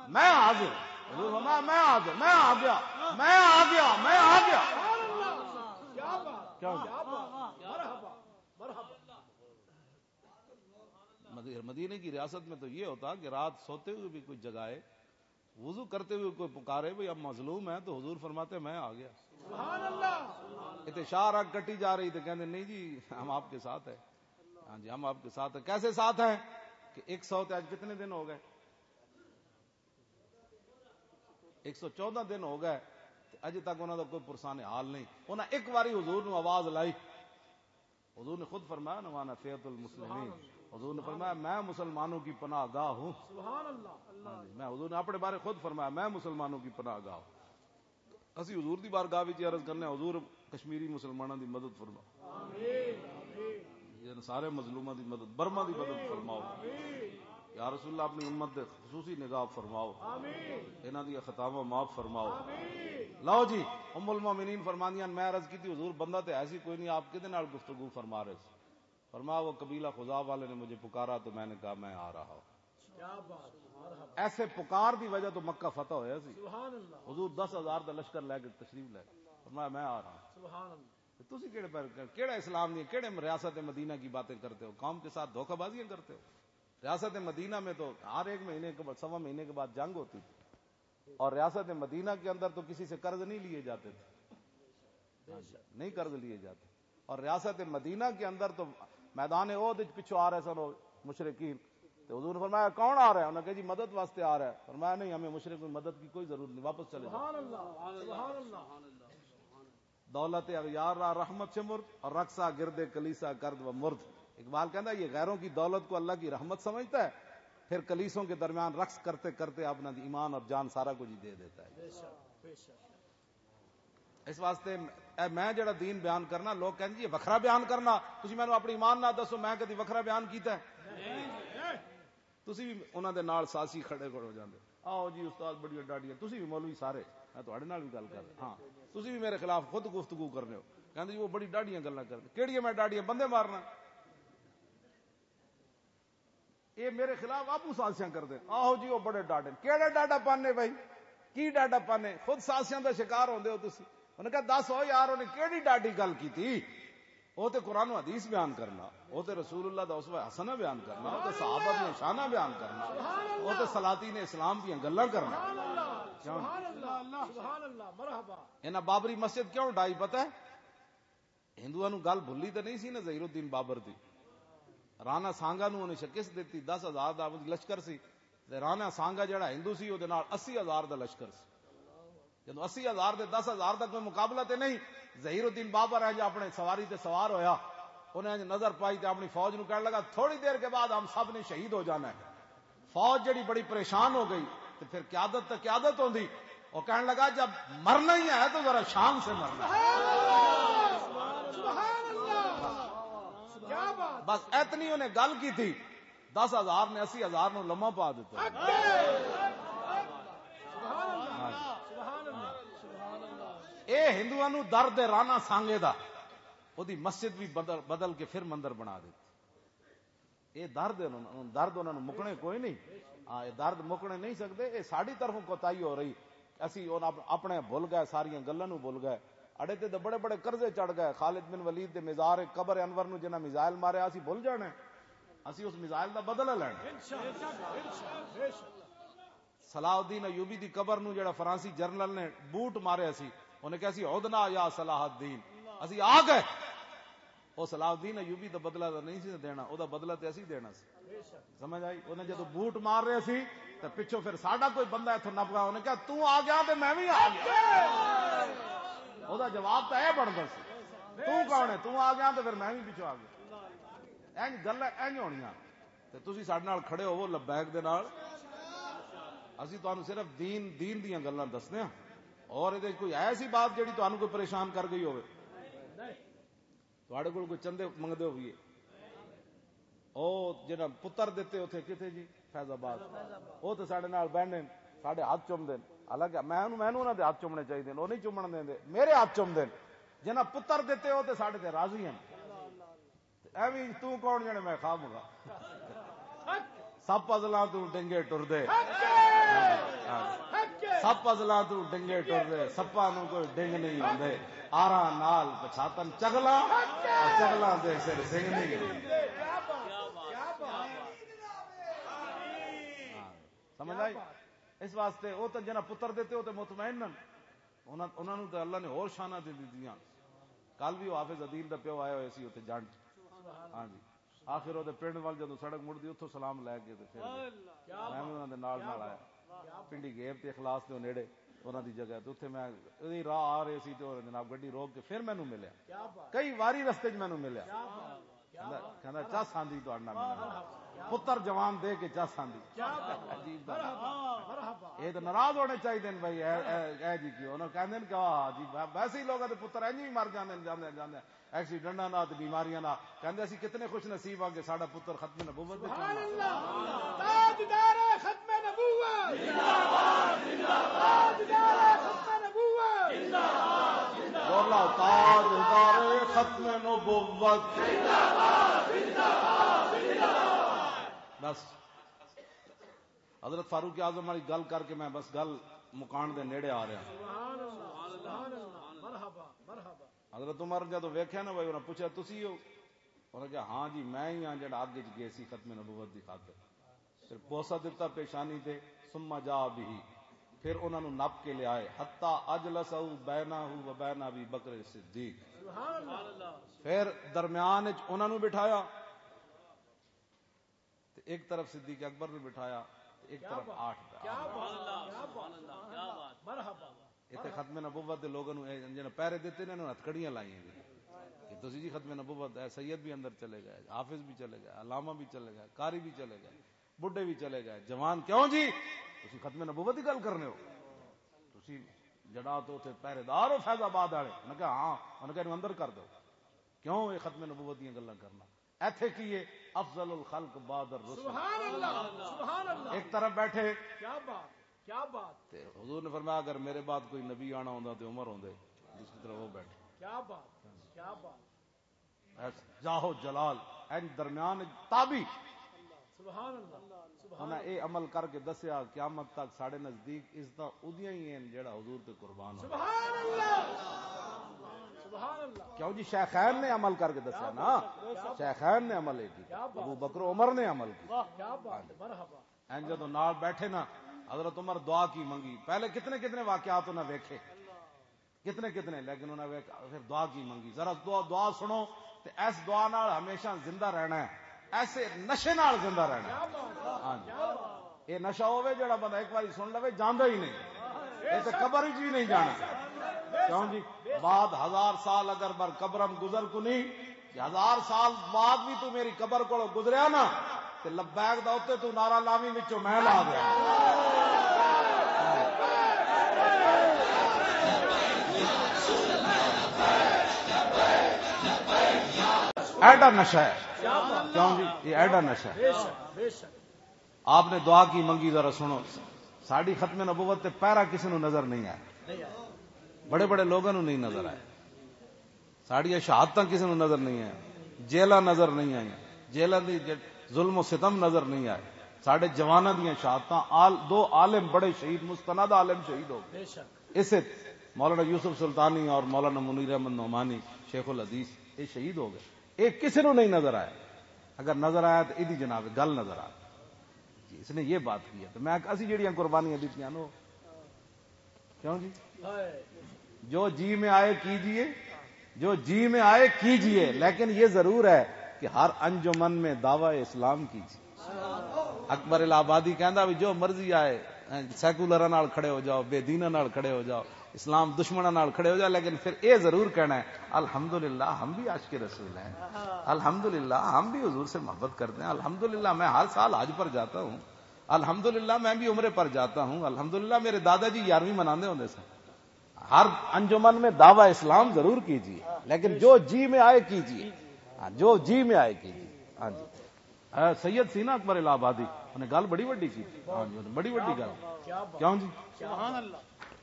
میں حاضر۔ حضور فرمایا، میں حاضر، میں آ گیا، میں آ گیا، میں آ گیا۔ کیا ہو گیا؟ مدی-، مدینے کی ریاست میں تو یہ ہوتا کہ رات سوتے ہوئے بھی کوئی جگائے، وضو کرتے ہوئے کوئی پکارے، "بھئی، اب مظلوم ہے"، تو حضور فرماتے، "میں آ گیا۔" اتنے شاہ راگ کٹی جا رہی، تو کہندے، "نہیں جی، ہم آپ کے ساتھ ہیں۔" ہاں جی، ہم آپ کے ساتھ ہیں۔ کیسے ساتھ ہیں؟ کہ ایک سو تے اج کتنے دن ہو گئے؟ ایک سو چودہ دن ہو گئے، تے اجے تک انہاں دا کوئی پرسان حال نہیں۔ انہاں ایک واری حضور نو آواز لائی، حضور نے خود فرمایا نا، "وانا فیۃ المسلمین۔" حضور نے فرمایا، "میں مسلمانوں کی پناہ گاہ ہوں۔" سبحان اللہ۔ ہاں جی، میں، حضور نے اپنے بارے خود فرمایا، "میں مسلمانوں کی پناہ گاہ ہوں۔" اسی حضور دی بارگاہ وچ عرض کرنے، "حضور، کشمیری مسلمانوں دی مدد فرماؤ۔" آمین، آمین۔ یہ سارے مظلوماں دی مدد، برما دی مدد فرماؤ۔ آمین۔ یا رسول اللہ، اپنی امت دے خصوصی نگاہ فرماؤ۔ آمین۔ انہاں دی خطاواں معاف فرماؤ۔ آمین۔ لو جی، ام المومنین فرماندیاں، میں عرض کی تھی، "حضور، بندہ تے ایسی کوئی نہیں، آپ کدے نال گفتگو فرما رہے سی؟" فرمایا، "وہ قبیلہ خزاع والے نے مجھے پکارا تو میں نے کہا، میں آ رہا ہوں۔" کیا بات، مرحبا۔ ایسے پکار دی وجہ تو مکہ فتح ہویا سی۔ سبحان اللہ۔ حضور دس ہزار دا لشکر لے کے تشریف لے گئے۔ فرمایا، "میں آ رہا ہوں۔" سبحان اللہ۔ تو تسی کیڑے پر، کیڑا اسلام دی، کیڑے ریاست مدینہ کی باتیں کرتے ہو؟ قوم کے ساتھ دھوکہ بازیاں کرتے ہو۔ ریاست مدینہ میں تو ہر ایک مہینے کے بعد، سوا مہینے کے بعد جنگ ہوتی تھی۔ اور ریاست مدینہ کے اندر تو کسی سے قرض نہیں لیے جاتے تھے۔ ہاں جی، نہیں قرض لیے جاتے۔ اور ریاست مدینہ کے اندر تو میدان احد وچ پچھو آ رہے سن وہ مشرکین۔ تو حضور نے فرمایا، "کون آ رہا ہے؟" انہوں نے کہا، "جی، مدد واسطے آ رہا ہے۔" فرمایا، "نہیں، ہمیں مشرک کی مدد کی کوئی ضرورت نہیں، واپس چلے جاؤ۔" سبحان اللہ، سبحان اللہ۔ دولت اغیار را رحمت چھ مرد اور رقصہ گرد کلیسا کرد و مرد۔ اقبال کہندا، یہ غیروں کی دولت کو اللہ کی رحمت سمجھتا ہے، پھر کلیسوں کے درمیان رقص کرتے کرتے اپنا ایمان اور جان سارا کچھ ہی دے دیتا ہے۔ بے شک، بے شک۔ اس واسطے اے میں جڑا دین بیان کرنا، لوگ کہندے، "یہ وکھرا بیان کرنا، تسی مینوں اپنی ایمان نہ دسو، میں کدی وکھرا بیان کیتا ہے؟" تسی بھی انہاں دے نال ساسی کھڑے کھڑے ہو جاندے، "آؤ جی استاد، بڑیاں ڈاڈیاں۔" تسی بھی مولوی سارے، میں تہاڈے نال بھی گل کر رہا ہاں، تسی بھی میرے خلاف خود گفتگو کرنے ہو، کہندے جی، "وہ بڑی ڈاڈیاں گلاں کرنے۔" کیڑیاں میں ڈاڈیاں؟ بندے مارنا۔ اے میرے خلاف آپو سازشاں کردے۔ آہو جی، او بڑے ڈاڈے۔ کیڑے ڈاڈا پانے بھائی؟ کی ڈاڈا پانے؟ خود سازشاں دا شکار ہوندے ہو تسی۔ انہاں کہا، "دس ہو یار، انہیں کیڑی ڈاڈی گل کیتی؟" او تے قرآن و حدیث بیان کرنا، او تے رسول اللہ دا اسوہ حسنہ بیان کرنا، او تے صحابہ دیاں شاناں بیان کرنا، او تے سلاطین اسلام دیاں گلاں کرنا۔ سبحان اللہ، سبحان اللہ، سبحان اللہ، مرحبا۔ انہاں بابری مسجد کیوں ڈائی پتہ ہے؟ ہندوؤں نوں گل بھلی تے نہیں سی نا ظہیر الدین بابر دی۔ رانا سانگا نوں انہیں شکست دتی، دس ہزار دا لشکر سی، تے رانا سانگا جڑا ہندو سی، او دے نال اسی ہزار دا لشکر سی۔ جدوں اسی ہزار دے دس ہزار دا کوئی مقابلہ تے نہیں، ظہیر الدین بابر ہے جو اپنے سواری تے سوار ہویا، انہیں انج نظر پائی تے اپنی فوج نوں کہن لگا، "تھوڑی دیر کے بعد ہم سب نے شہید ہو جانا ہے۔" فوج جڑی بڑی پریشان ہو گئی، تے پھر قیادت تے قیادت ہوندی۔ وہ کہن لگا، "جب مرنا ہی ہے تو ذرا شان سے مرنا ہے۔" سبحان اللہ۔ کیا بات۔ بس اتنی انہیں گل کی تھی، دس ہزار نے اسی ہزار نو لمحہ پا دیتا۔ سبحان اللہ، سبحان اللہ، سبحان اللہ۔ اے ہندوؤں نو درد ہے رانا سانگے دا، وہ دی مسجد بھی بدل، بدل کے پھر مندر بنا دیتی۔ اے درد ہے، انہوں، درد انہوں نے مکنے کوئی نہیں۔ ہاں، اے درد مکنے نہیں سکتے۔ اے ساڈی طرفوں کوتاہی ہو رہی، اسی ان اپ-، اپنے بھول گئے، ساریاں گلاں نوں بھول گئے۔ اڑے تے تے بڑے بڑے قرضے چڑھ گئے۔ خالد بن ولید دے مزار قبر انور نوں جنہاں میزائل ماریا، اسی بھول جانا ہے۔ اسی اس میزائل دا بدلہ لینا ہے۔ صلاح الدین ایوبی دی قبر نوں جڑا فرانسی جنرل نے بوٹ ماریا سی، انہیں کہا سی، "عدنا یا صلاح الدین"، اسی آ گئے۔ او صلاح الدین ایوبی دا بدلہ دا نہیں سی دینا، او دا بدلہ تے اسی دینا سی۔ سمجھ آئی؟ انہیں جدوں بوٹ مار رہے سی تے پچھوں پھر ساڈا کوئی بندہ اتھوں نپ گیا، انہیں کہا، "تو آ گیا تے میں بھی آ گیا۔" او دا جواب تے اے بندا سی، "تو کون ہے؟ تو آ گیا تے پھر میں بھی پچھوں آ گیا۔" اینج گلاں اینج ہونیاں۔ تسی ساڈے نال کھڑے ہوو لبیک دے نال۔ اسی تانوں صرف دین، دین دیاں گلاں دسنے ہاں۔ اور اے کوئی ایسی بات جڑی تانوں کوئی پریشان کر گئی ہوے؟ تواڈے کول کوئی چندے منگدے ہوئیے؟ او جنہاں پتر دتے اوتھے کتھے جی؟ فیض آباد۔ او تے ساڈے نال بہنے، ساڈے ہاتھ چومدے۔ حالانکہ میں انہوں، میں انہوں انہاں دے ہاتھ چومنے چاہیے، او نہیں چومن دیندے، میرے ہاتھ چومدے۔ جنہاں پتر دتے او تے ساڈے تے راضی ہیں۔ تے ایویں تو کون جنے میں کھاواں گا؟ سپ ازلاں تو ڈنگے ٹردے۔ سپ ازلاں تو ڈنگے ٹردے، سپاں نوں کوئی ڈنگ نہیں ہوندے۔ آراں نال پچھاتن چگلاں، اور چگلاں دے سر سنگ نہیں ہوندے۔ ہاں، سمجھ آئی؟ اس واسطے او تے جنہاں پتر دتے او تے مطمئن ہن۔ انہاں، انہاں نوں تے اللہ نے ہور شاناں دے دتیاں۔ کل بھی او حافظ عدیل دا پیو آیا ہویا سی اوتھے جنڈ۔ ہاں جی۔ آخر او دے پنڈ وال جدوں سڑک مڑدی، اتھوں سلام لے کے تے پھر میں بھی انہاں دے نال نال آیا۔ پنڈی گیب تے اخلاص دے نیڑے انہاں دی جگہ تے اتھے میں، اے راہ آ رہے سی تے انہاں جناب گڈی روک کے پھر مینوں ملیا۔ کئی واری رستے 'چ مینوں ملیا۔ کہندا، کہندا، "چس آندی تہاڈے نال ملن۔" پتر جوان دے کے چس آندی۔ عجیب گل۔ اے تے ناراض ہونے چاہیے نے بھائی، اے، اے، اے جی کیوں؟ انہاں کہندے نے کہ آہ جی، وے-، ویسے ہی لوگاں دے پتر انج ہی مر جاندے نے، جاندے، جاندے، ایکسیڈنٹاں نال تے بیماریاں نال۔ کہندے اسی کتنے خوش نصیب ہاں کہ ساڈا پتر ختم نبوت دے کام سبحان اللہ۔ تاجدار ختم نبوت۔ زندہ باد، زندہ باد۔ تاجدار ختم نبوت۔ زندہ باد، زندہ باد۔ بولا، تاجدار ختم نبوت۔ بس، حضرت فاروق اعظم والی گل کر کے میں بس گل مکان دے نیڑے آ رہا۔ سبحان اللہ، سبحان اللہ، مرحبا، مرحبا۔ حضرت عمر جدوں ویکھیا نا بھائی، انہاں پوچھا، "تسی ہو؟" انہاں کہا، "ہاں جی، میں ہی ہاں جڑا اگ وچ گئے سی ختم نبوت دی خاطر۔" پھر بوسہ دتا پیشانی تے، "ثم جاء به۔" پھر انہاں نوں نپ کے لے آئے، "حتی اجلسہ بینہ و بین ابی بکر صدیق۔" سبحان اللہ۔ پھر درمیان وچ انہاں نوں بٹھایا۔ تے ایک طرف صدیق اکبر نوں بٹھایا، تے ایک طرف آٹھ پہ۔ مرحبا۔ اتنے ختم نبوت دے لوگوں نوں اے جنہاں پہرے دتے نے، انہوں نے ہتھکڑیاں لائیاں نے کہ تسی جی ختم نبوت، اے سید بھی اندر چلے گئے، حافظ بھی چلے گئے، علامہ بھی چلے گئے، قاری بھی چلے گئے، بڈھے بھی چلے گئے، جوان، کیوں جی؟ تسی ختم نبوت دی گل کرنے ہو؟ تسی جڑا تو اتھے پہرے دار ہو فیض آباد والے؟ انہاں کہا، "ہاں۔" انہاں کہا، "اینوں اندر کر دو۔" کیوں اے ختم نبوت دیاں گلاں کرنا؟ ایتھے کی ہے؟ افضل الخلق بعد الرسل۔ سبحان اللہ، سبحان اللہ۔ ایک طرف بیٹھے۔ کیا بات، کیا بات۔ تے حضور نے فرمایا، "اگر میرے بعد کوئی نبی آنا ہوندا تے عمر ہوندے، دوسری طرف وہ بیٹھے۔" کیا بات، کیا بات۔ ایس جاہ و جلال، این درمیان تابی۔ سبحان اللہ، سبحان انہاں اے عمل کر کے دسیا، قیامت تک ساڈے نزدیک عزتاں اودیاں ہی ہیں جڑا حضور تے قربان ہو۔ سبحان اللہ، سبحان اللہ۔ کیوں جی؟ شیخین نے عمل کر کے دسیا نا، شیخین نے عمل یہ کیا، ابو بکر عمر نے عمل کیا۔ واہ، کیا بات ہے، مرحبا۔ این جدوں نال بیٹھے نا، حضرت عمر دعا کی منگی۔ پہلے کتنے کتنے واقعات انہاں ویکھے، کتنے کتنے، لیکن انہاں ویکھ پھر دعا کی منگی۔ ذرا دعا، دعا سنو، تے اس دعا نال ہمیشہ زندہ رہنا ہے، ایسے نشے نال زندہ رہنا ہے۔ ہاں جی۔ اے نشہ ہوے جڑا بندہ ایک باری سن لوے، جاندا ہی نہیں۔ اے تے قبر وچ بھی نہیں جانا۔ کیوں جی؟ بعد ہزار سال اگر بر قبرم گزر کو نہیں، کہ ہزار سال بعد بھی تو میری قبر کو گزریا نا، تے لبیک دا اُتے تو نعرہ لاویں وچوں میں لا دیا۔ ایڈا نشہ ہے۔ کیوں جی؟ یہ ایڈا نشہ ہے۔ آپ نے دعا کی منگی، ذرا سنو۔ ساڈی ختم نبوت تے پیرا کسی نو نظر نہیں آیا، بڑے بڑے لوگوں نو نہیں نظر آیا، ساڈیاں شہادتاں کسی نو نظر نہیں آیا، جیلاں نظر نہیں آئیاں، جیلاں دی ج-، ظلم و ستم نظر نہیں آئے، ساڈے جواناں دیاں شہادتاں، آل-، دو عالم بڑے شہید، مستند عالم شہید ہو گئے۔ اسے مولانا یوسف سلطانی اور مولانا منیر احمد نعمانی، شیخ الحدیث، یہ شہید ہو گئے۔ یہ کسی نو نہیں نظر آیا۔ اگر نظر آیا تو ایدی جناب گل نظر آ گئی۔ جی، اس نے یہ بات کی ہے۔ تو میں، اسی جڑیاں قربانیاں دیتیاں نو، کیوں جی؟ جو جی میں آئے کیجیے، جو جی میں آئے کیجیے، لیکن یہ ضرور ہے کہ ہر انجمن میں دعویٰ اسلام کیجیے۔ اکبر الہ آبادی کہندا بھی جو مرضی آئے، سیکولر نال کھڑے ہو جاؤ، بے دیناں نال کھڑے ہو جاؤ، اسلام دشمنوں نال کھڑے ہو جا، لیکن پھر اے ضرور کہنا ہے، "الحمدللہ، ہم بھی عاشق رسول ہیں، الحمدللہ، ہم بھی حضور سے محبت کرتے ہیں، الحمدللہ، میں ہر سال حج پر جاتا ہوں، الحمدللہ، میں بھی عمرے پر جاتا ہوں، الحمدللہ، میرے دادا جی گیارہویں مناندے ہوندے سن۔" ہر انجمن میں دعویٰ اسلام ضرور کیجیے، لیکن جو جی میں آئے کیجیے۔ ہاں، جو جی میں آئے کیجیے۔ ہاں جی۔ اے سید سی نا اکبر الہ آبادی، انہیں گل بڑی وڈی کی۔ ہاں جی، بڑی وڈی گل۔ کیوں جی؟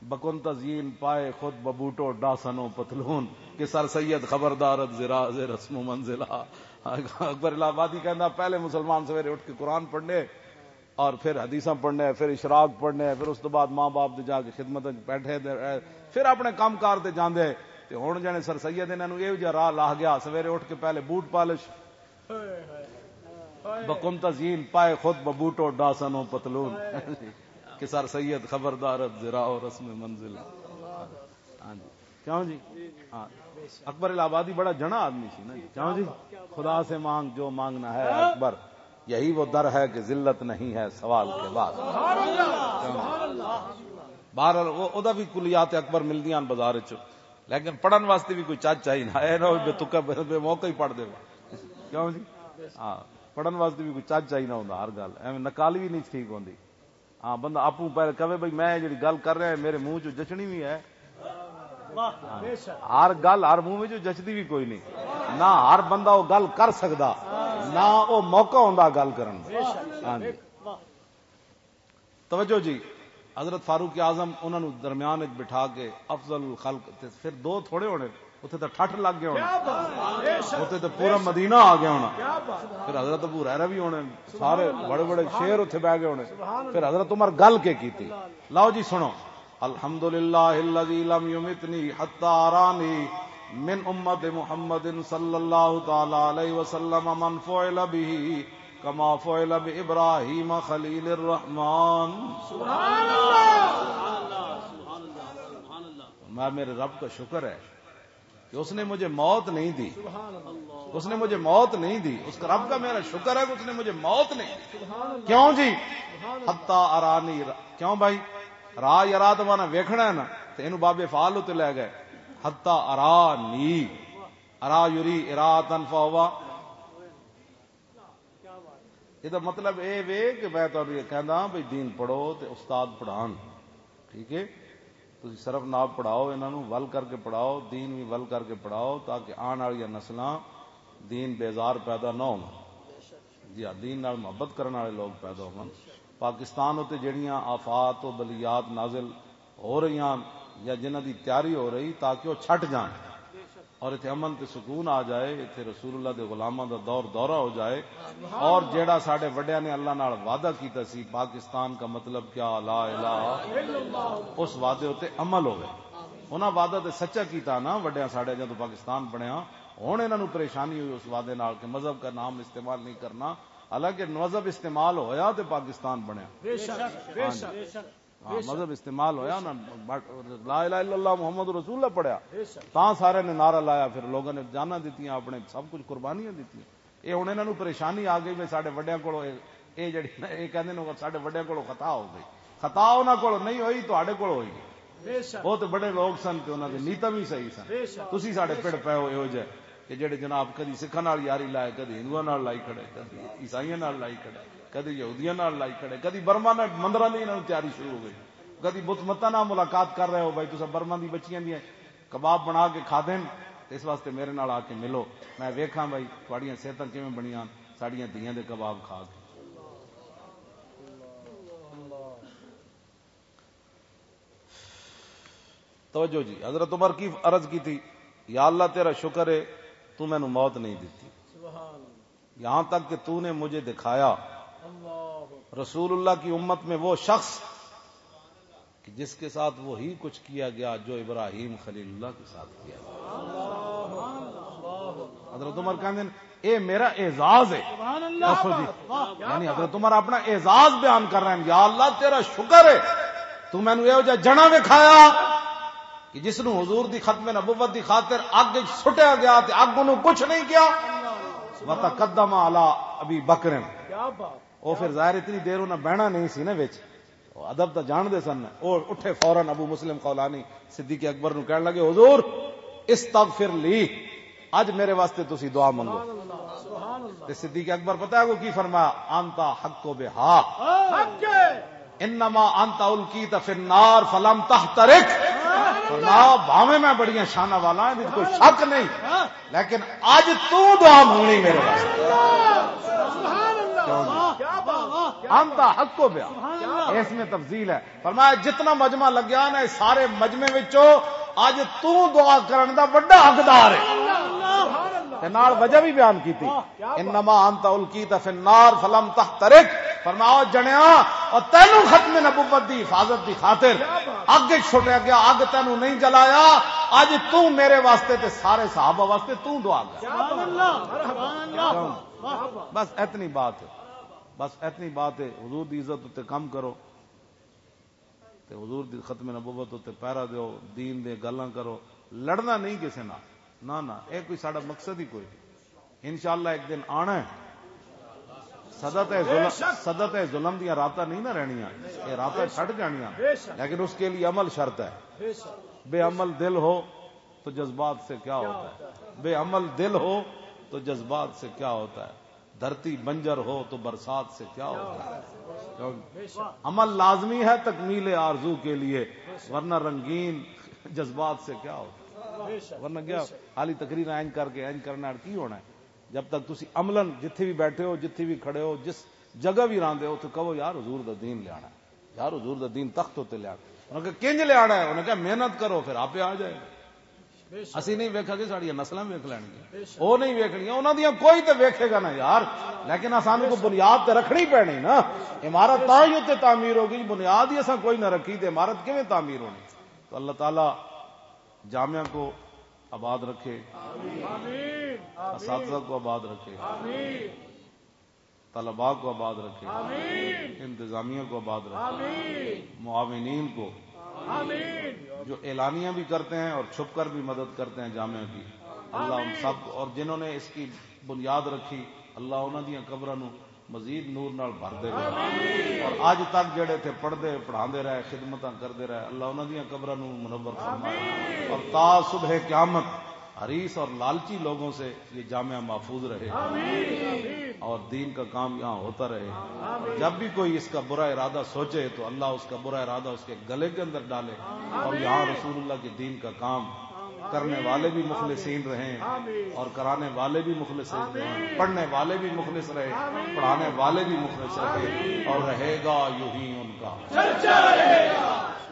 بکن تزئین پائے خود ببوٹو ڈاسن و پتلون، کہ سر سید خبردارت زرا ز رسم و منزلہ۔ اکبر الہ آبادی کہندا، پہلے مسلمان سویرے اٹھ کے قرآن پڑھنے، اور پھر حدیثاں پڑھنے، پھر اشراق پڑھنے، پھر اس تو بعد ماں باپ دے جا کے خدمت وچ بیٹھے دے، پھر اپنے کام کار تے جاندے۔ تے ہن جنے سر سید انہاں نوں ایہو جہا راہ لاہ گیا، سویرے اٹھ کے پہلے بوٹ پالش، بکن تزئین پائے خود ببوٹو ڈاسن و پتلون، کہ سر سید خبردارت زرا و رسم منزل۔ ہاں جی۔ کیوں جی؟ ہاں۔ اکبر الہ آبادی بڑا جنا آدمی سی نا جی۔ کیوں جی؟ خدا سے مانگ جو مانگنا ہے اکبر، یہی وہ در ہے کہ ذلت نہیں ہے سوال کے بعد۔ کیوں جی؟ بہرحال، او، او دا بھی کلیات اکبر ملدیاں ہن بازار وچ، لیکن پڑھن واسطے بھی کوئی چج چاہیے نا، اے نہ ہوئے بے تکا بے، بے موقع ہی پڑھ دے۔ کیوں جی؟ ہاں، پڑھن واسطے بھی کوئی چج چاہیے نہ ہوندا، ہر گل ایویں نقالی بھی نہیں ٹھیک ہوندی۔ ہاں، بندہ آپوں پہلے کہے، "بھئی، میں جڑی گل کر رہا ہے، میرے منہ چوں جچنی بھی ہے۔" ہر گل، ہر منہ وچوں جچدی بھی کوئی نہیں۔ نہ ہر بندہ وہ گل کر سکدا، نہ وہ موقع ہوندا گل کرن دا۔ ہاں جی۔ توجہ جی، حضرت فاروق اعظم انہاں نوں درمیان وچ بٹھا کے افضل الخلق، تے پھر دو تھوڑے ہونے، اتھے تے ٹھٹھ لگ گئے ہونے، اتھے تے پورا مدینہ آ گیا ہونا۔ پھر حضرت ابو ہریرہ بھی ہونے، سارے بڑے بڑے شیر اتھے بہ گئے ہونے۔ پھر حضرت عمر گل کے کیتی؟ لاؤ جی سنو، "الحمدللہ الذی لم یمتنی حتی ارانی من امت محمد صلی اللہ تعالی علیہ وسلم من فعل به کما فعل بابراہیم خلیل الرحمن۔" میں، میرے رب کا شکر ہے کہ اس نے مجھے موت نہیں دی۔ اس نے مجھے موت نہیں دی۔ اس کا، رب کا میرا شکر ہے کہ اس نے مجھے موت نہیں دی۔ کیوں جی؟ حتی ارانی را-، کیوں بھائی؟ را یرا تو مانا ویکھنا ہے نا، تو اینو باب فعال تے لے گئے۔ حتی ارانی، ارا یری اراتن فہوا۔ یہ مطلب اے وے کہ میں تانوں یہ کہندا ہاں بھئی دین پڑھو تے استاد پڑھان۔ ٹھیک ہے؟ تسی صرف نہ پڑھاؤ، انہاں نوں ول کر کے پڑھاؤ، دین بھی ول کر کے پڑھاؤ، تاکہ آن والیاں نسلاں دین بیزار پیدا نہ ہون۔ جی ہاں، دین نال محبت کرن والے لوگ پیدا ہون۔ پاکستان اتے جڑیاں آفات و بلیات نازل ہو رہیاں یا جنہاں دی تیاری ہو رہی، تاکہ وہ چھٹ جان اور اتھے امن تے سکون آ جائے، اتھے رسول اللہ دے غلاماں دا دور دورہ ہو جائے، اور جیڑا ساڈے وڈیاں نے اللہ نال وعدہ کیتا سی، پاکستان کا مطلب کیا، لا الہ، اس وعدے اتے عمل ہوئے۔ انہاں وعدہ تے سچا کیتا نا وڈیاں ساڈے، جدوں پاکستان بنیا، ہن انہاں نوں پریشانی ہوئی اس وعدے نال کہ مذہب کا نام استعمال نہیں کرنا، حالانکہ مذہب استعمال ہویا تے پاکستان بنیا۔ ہاں جی۔ ہاں، مذہب استعمال ہویا نا، بٹ لا الہ الا اللہ محمد رسول اللہ پڑھیا، تاں سارے نے نعرہ لایا، پھر لوگوں نے جاناں دتیاں، اپنے سب کچھ قربانیاں دتیاں۔ یہ ہن انہاں نوں پریشانی آ گئی، میں ساڈے وڈیاں کولوں یہ، یہ جڑی نا، یہ کہندے نے ساڈے وڈیاں کولوں خطا ہو گئی۔ خطا انہاں کولوں نہیں ہوئی، تہاڈے کولوں ہوئی۔ بہت بڑے لوگ سن تے انہاں دے نیتاں بھی صحیح سن۔ تسی ساڈے پڑ پے ہو، ایہو جے کہ جڑے جناب کدی سکھاں نال یاری لائے، کدی ہندوؤں نال لائی کھڑے، کدی عیسائیاں نال لائی کھڑے، کدی یہودیاں نال لائی کھڑے، کدی برما نے مندراں دی انہاں نوں تیاری شروع ہو گئی، کدی بت متاں نال ملاقات کر رہے ہو، بھائی تساں برما دی بچیاں دیاں کباب بنا کے کھا دین، اس واسطے میرے نال آ کے ملو، میں ویکھاں بھائی تہاڈیاں صحتاں کیویں بنیاں ساڈیاں دھیاں دے کباب کھا کے۔ توجہ جی، حضرت عمر کی عرض کی تھی، "یا اللہ تیرا شکر ہے، تو مینوں موت نہیں دیتی، یہاں تک کہ تو نے مجھے دکھایا رسول اللہ کی امت میں وہ شخص کہ جس کے ساتھ وہی کچھ کیا گیا جو ابراہیم خلیل اللہ کے ساتھ کیا گیا۔" حضرت عمر کہندے نے، "اے میرا اعزاز ہے۔" دسو جی، یعنی حضرت عمر اپنا اعزاز بیان کر رہے ہیں، "یا اللہ تیرا شکر ہے، تو مینوں ایہو جہا جنا وکھایا کہ جس نوں حضور دی ختم نبوت دی خاطر اگ وچ سٹیا گیا تے اگ انہوں کچھ نہیں کیا۔" وتقدم علی ابی بکر۔ او پھر ظاہر اتنی دیر انہاں بہنا نہیں سی نا وچ۔ ادب تو جان دے سن۔ وہ اٹھے، فوراً ابو مسلم خولانی صدیق اکبر نو کہن لگے، "حضور، استغفر لی، اج میرے واسطے تسی دعا منگو۔" تے صدیق اکبر پتہ ہے وہ کی فرمایا؟ "انت حق بہا، انما انت القیت فی النار فلم تحترق۔" فرمایا، "بھاویں میں بڑیاں شاناں والا ہاں، کوئی شک نہیں، لیکن اج تو دعا منگنی میرے واسطے۔" کیوں جی؟ انت حق بہا، اس میں تفضیل ہے۔ فرمایا، جتنا مجمع لگیا نا، اس سارے مجمع وچوں اج تو دعا کرن دا وڈا حقدار ہے۔ تے نال وجہ بھی بیان کیتی، "انما انت القیت فی النار فلم تحترق۔" فرمایا، "او جنیا، او تینوں ختم نبوت دی حفاظت دی خاطر اگ وچ سٹیا گیا، اگ تینوں نہیں جلایا، اج تو میرے واسطے تے سارے صحابہ واسطے تو دعا کر۔" بس اتنی بات ہے، بس اتنی بات ہے۔ حضور دی عزت تے کم کرو، تے حضور دی ختم نبوت تے پیرا دیو، دین دے گلاں کرو، لڑنا نہیں کسے نال۔ نہ، نہ، اے کوئی ساڈا مقصد ہی کوئی نہیں۔ انشاءاللہ ایک دن آنا ہے۔ صدت ہے ظلم، صدت ہے ظلم دیاں راتاں نہیں نہ رہنیاں، اے راتاں چھٹ جانیاں، لیکن اس کے لیے عمل شرط ہے۔ بے عمل دل ہو تو جذبات سے کیا ہوتا ہے؟ بے عمل دل ہو تو جذبات سے کیا ہوتا ہے؟ دھرتی بنجر ہو تو برسات سے کیا ہوتا ہے؟ کیوں؟ عمل لازمی ہے تکمیل آرزو کے لیے، ورنہ رنگین جذبات سے کیا ہوتا ہے؟ ورنہ کیا؟ خالی تقریر اینج کر کے اینج کرنا کی ہونا ہے؟ جب تک تسی عملاً جتھے بھی بیٹھے ہو، جتھے بھی کھڑے ہو، جس جگہ بھی راندے ہو، تو کہو، "یار، حضور دا دین لیانا ہے، یار، حضور دا دین تخت ہوتے لیانا ہے۔" انہاں کہا، "کنج لیانا ہے؟" انہاں کہا، "محنت کرو، پھر آپ آ جائے۔" اسی نہیں ویکھا کہ ساڈیاں نسلاں ویکھ لینگیاں۔ او نہیں ویکھنیاں، انہاں دیاں کوئی تے ویکھے گا نا یار۔ لیکن اساں کو بنیاد تے رکھنی پینی نا۔ عمارت تاں ہی اتنے تعمیر ہوگی، بنیاد ہی اساں کوئی نہ رکھی تے عمارت کیویں تعمیر ہونی؟ تو اللہ تعالیٰ جامعہ کو آباد رکھے، اساتذہ کو آباد رکھے، طلباء کو آباد رکھے، انتظامیہ کو آباد رکھے، معاونین کو، جو اعلانیہ بھی کرتے ہیں اور چھپ کر بھی مدد کرتے ہیں جامعہ کی، اللہ ان سب کو، اور جنہوں نے اس کی بنیاد رکھی، اللہ انہاں دیاں قبراں نو مزید نور نال بھر دے۔ اور اج تک جڑے تھے پڑھدے، پڑھاندے رہے، خدمتاں کردے رہے، اللہ انہاں دیاں قبراں نو منور فرمائے۔ اور تا صبح قیامت حریص اور لالچی لوگوں سے یہ جامعہ محفوظ رہے اور دین کا کام یہاں ہوتا رہے۔ جب بھی کوئی اس کا برا ارادہ سوچے تو اللہ اس کا برا ارادہ اس کے گلے کے اندر ڈالے اور یہاں رسول اللہ کے دین کا کام کرنے والے بھی مخلصین رہیں اور کرانے والے بھی مخلصین رہیں، پڑھنے والے بھی مخلص رہے، پڑھانے والے بھی مخلص رہے اور رہے گا یوں ہی ان کا۔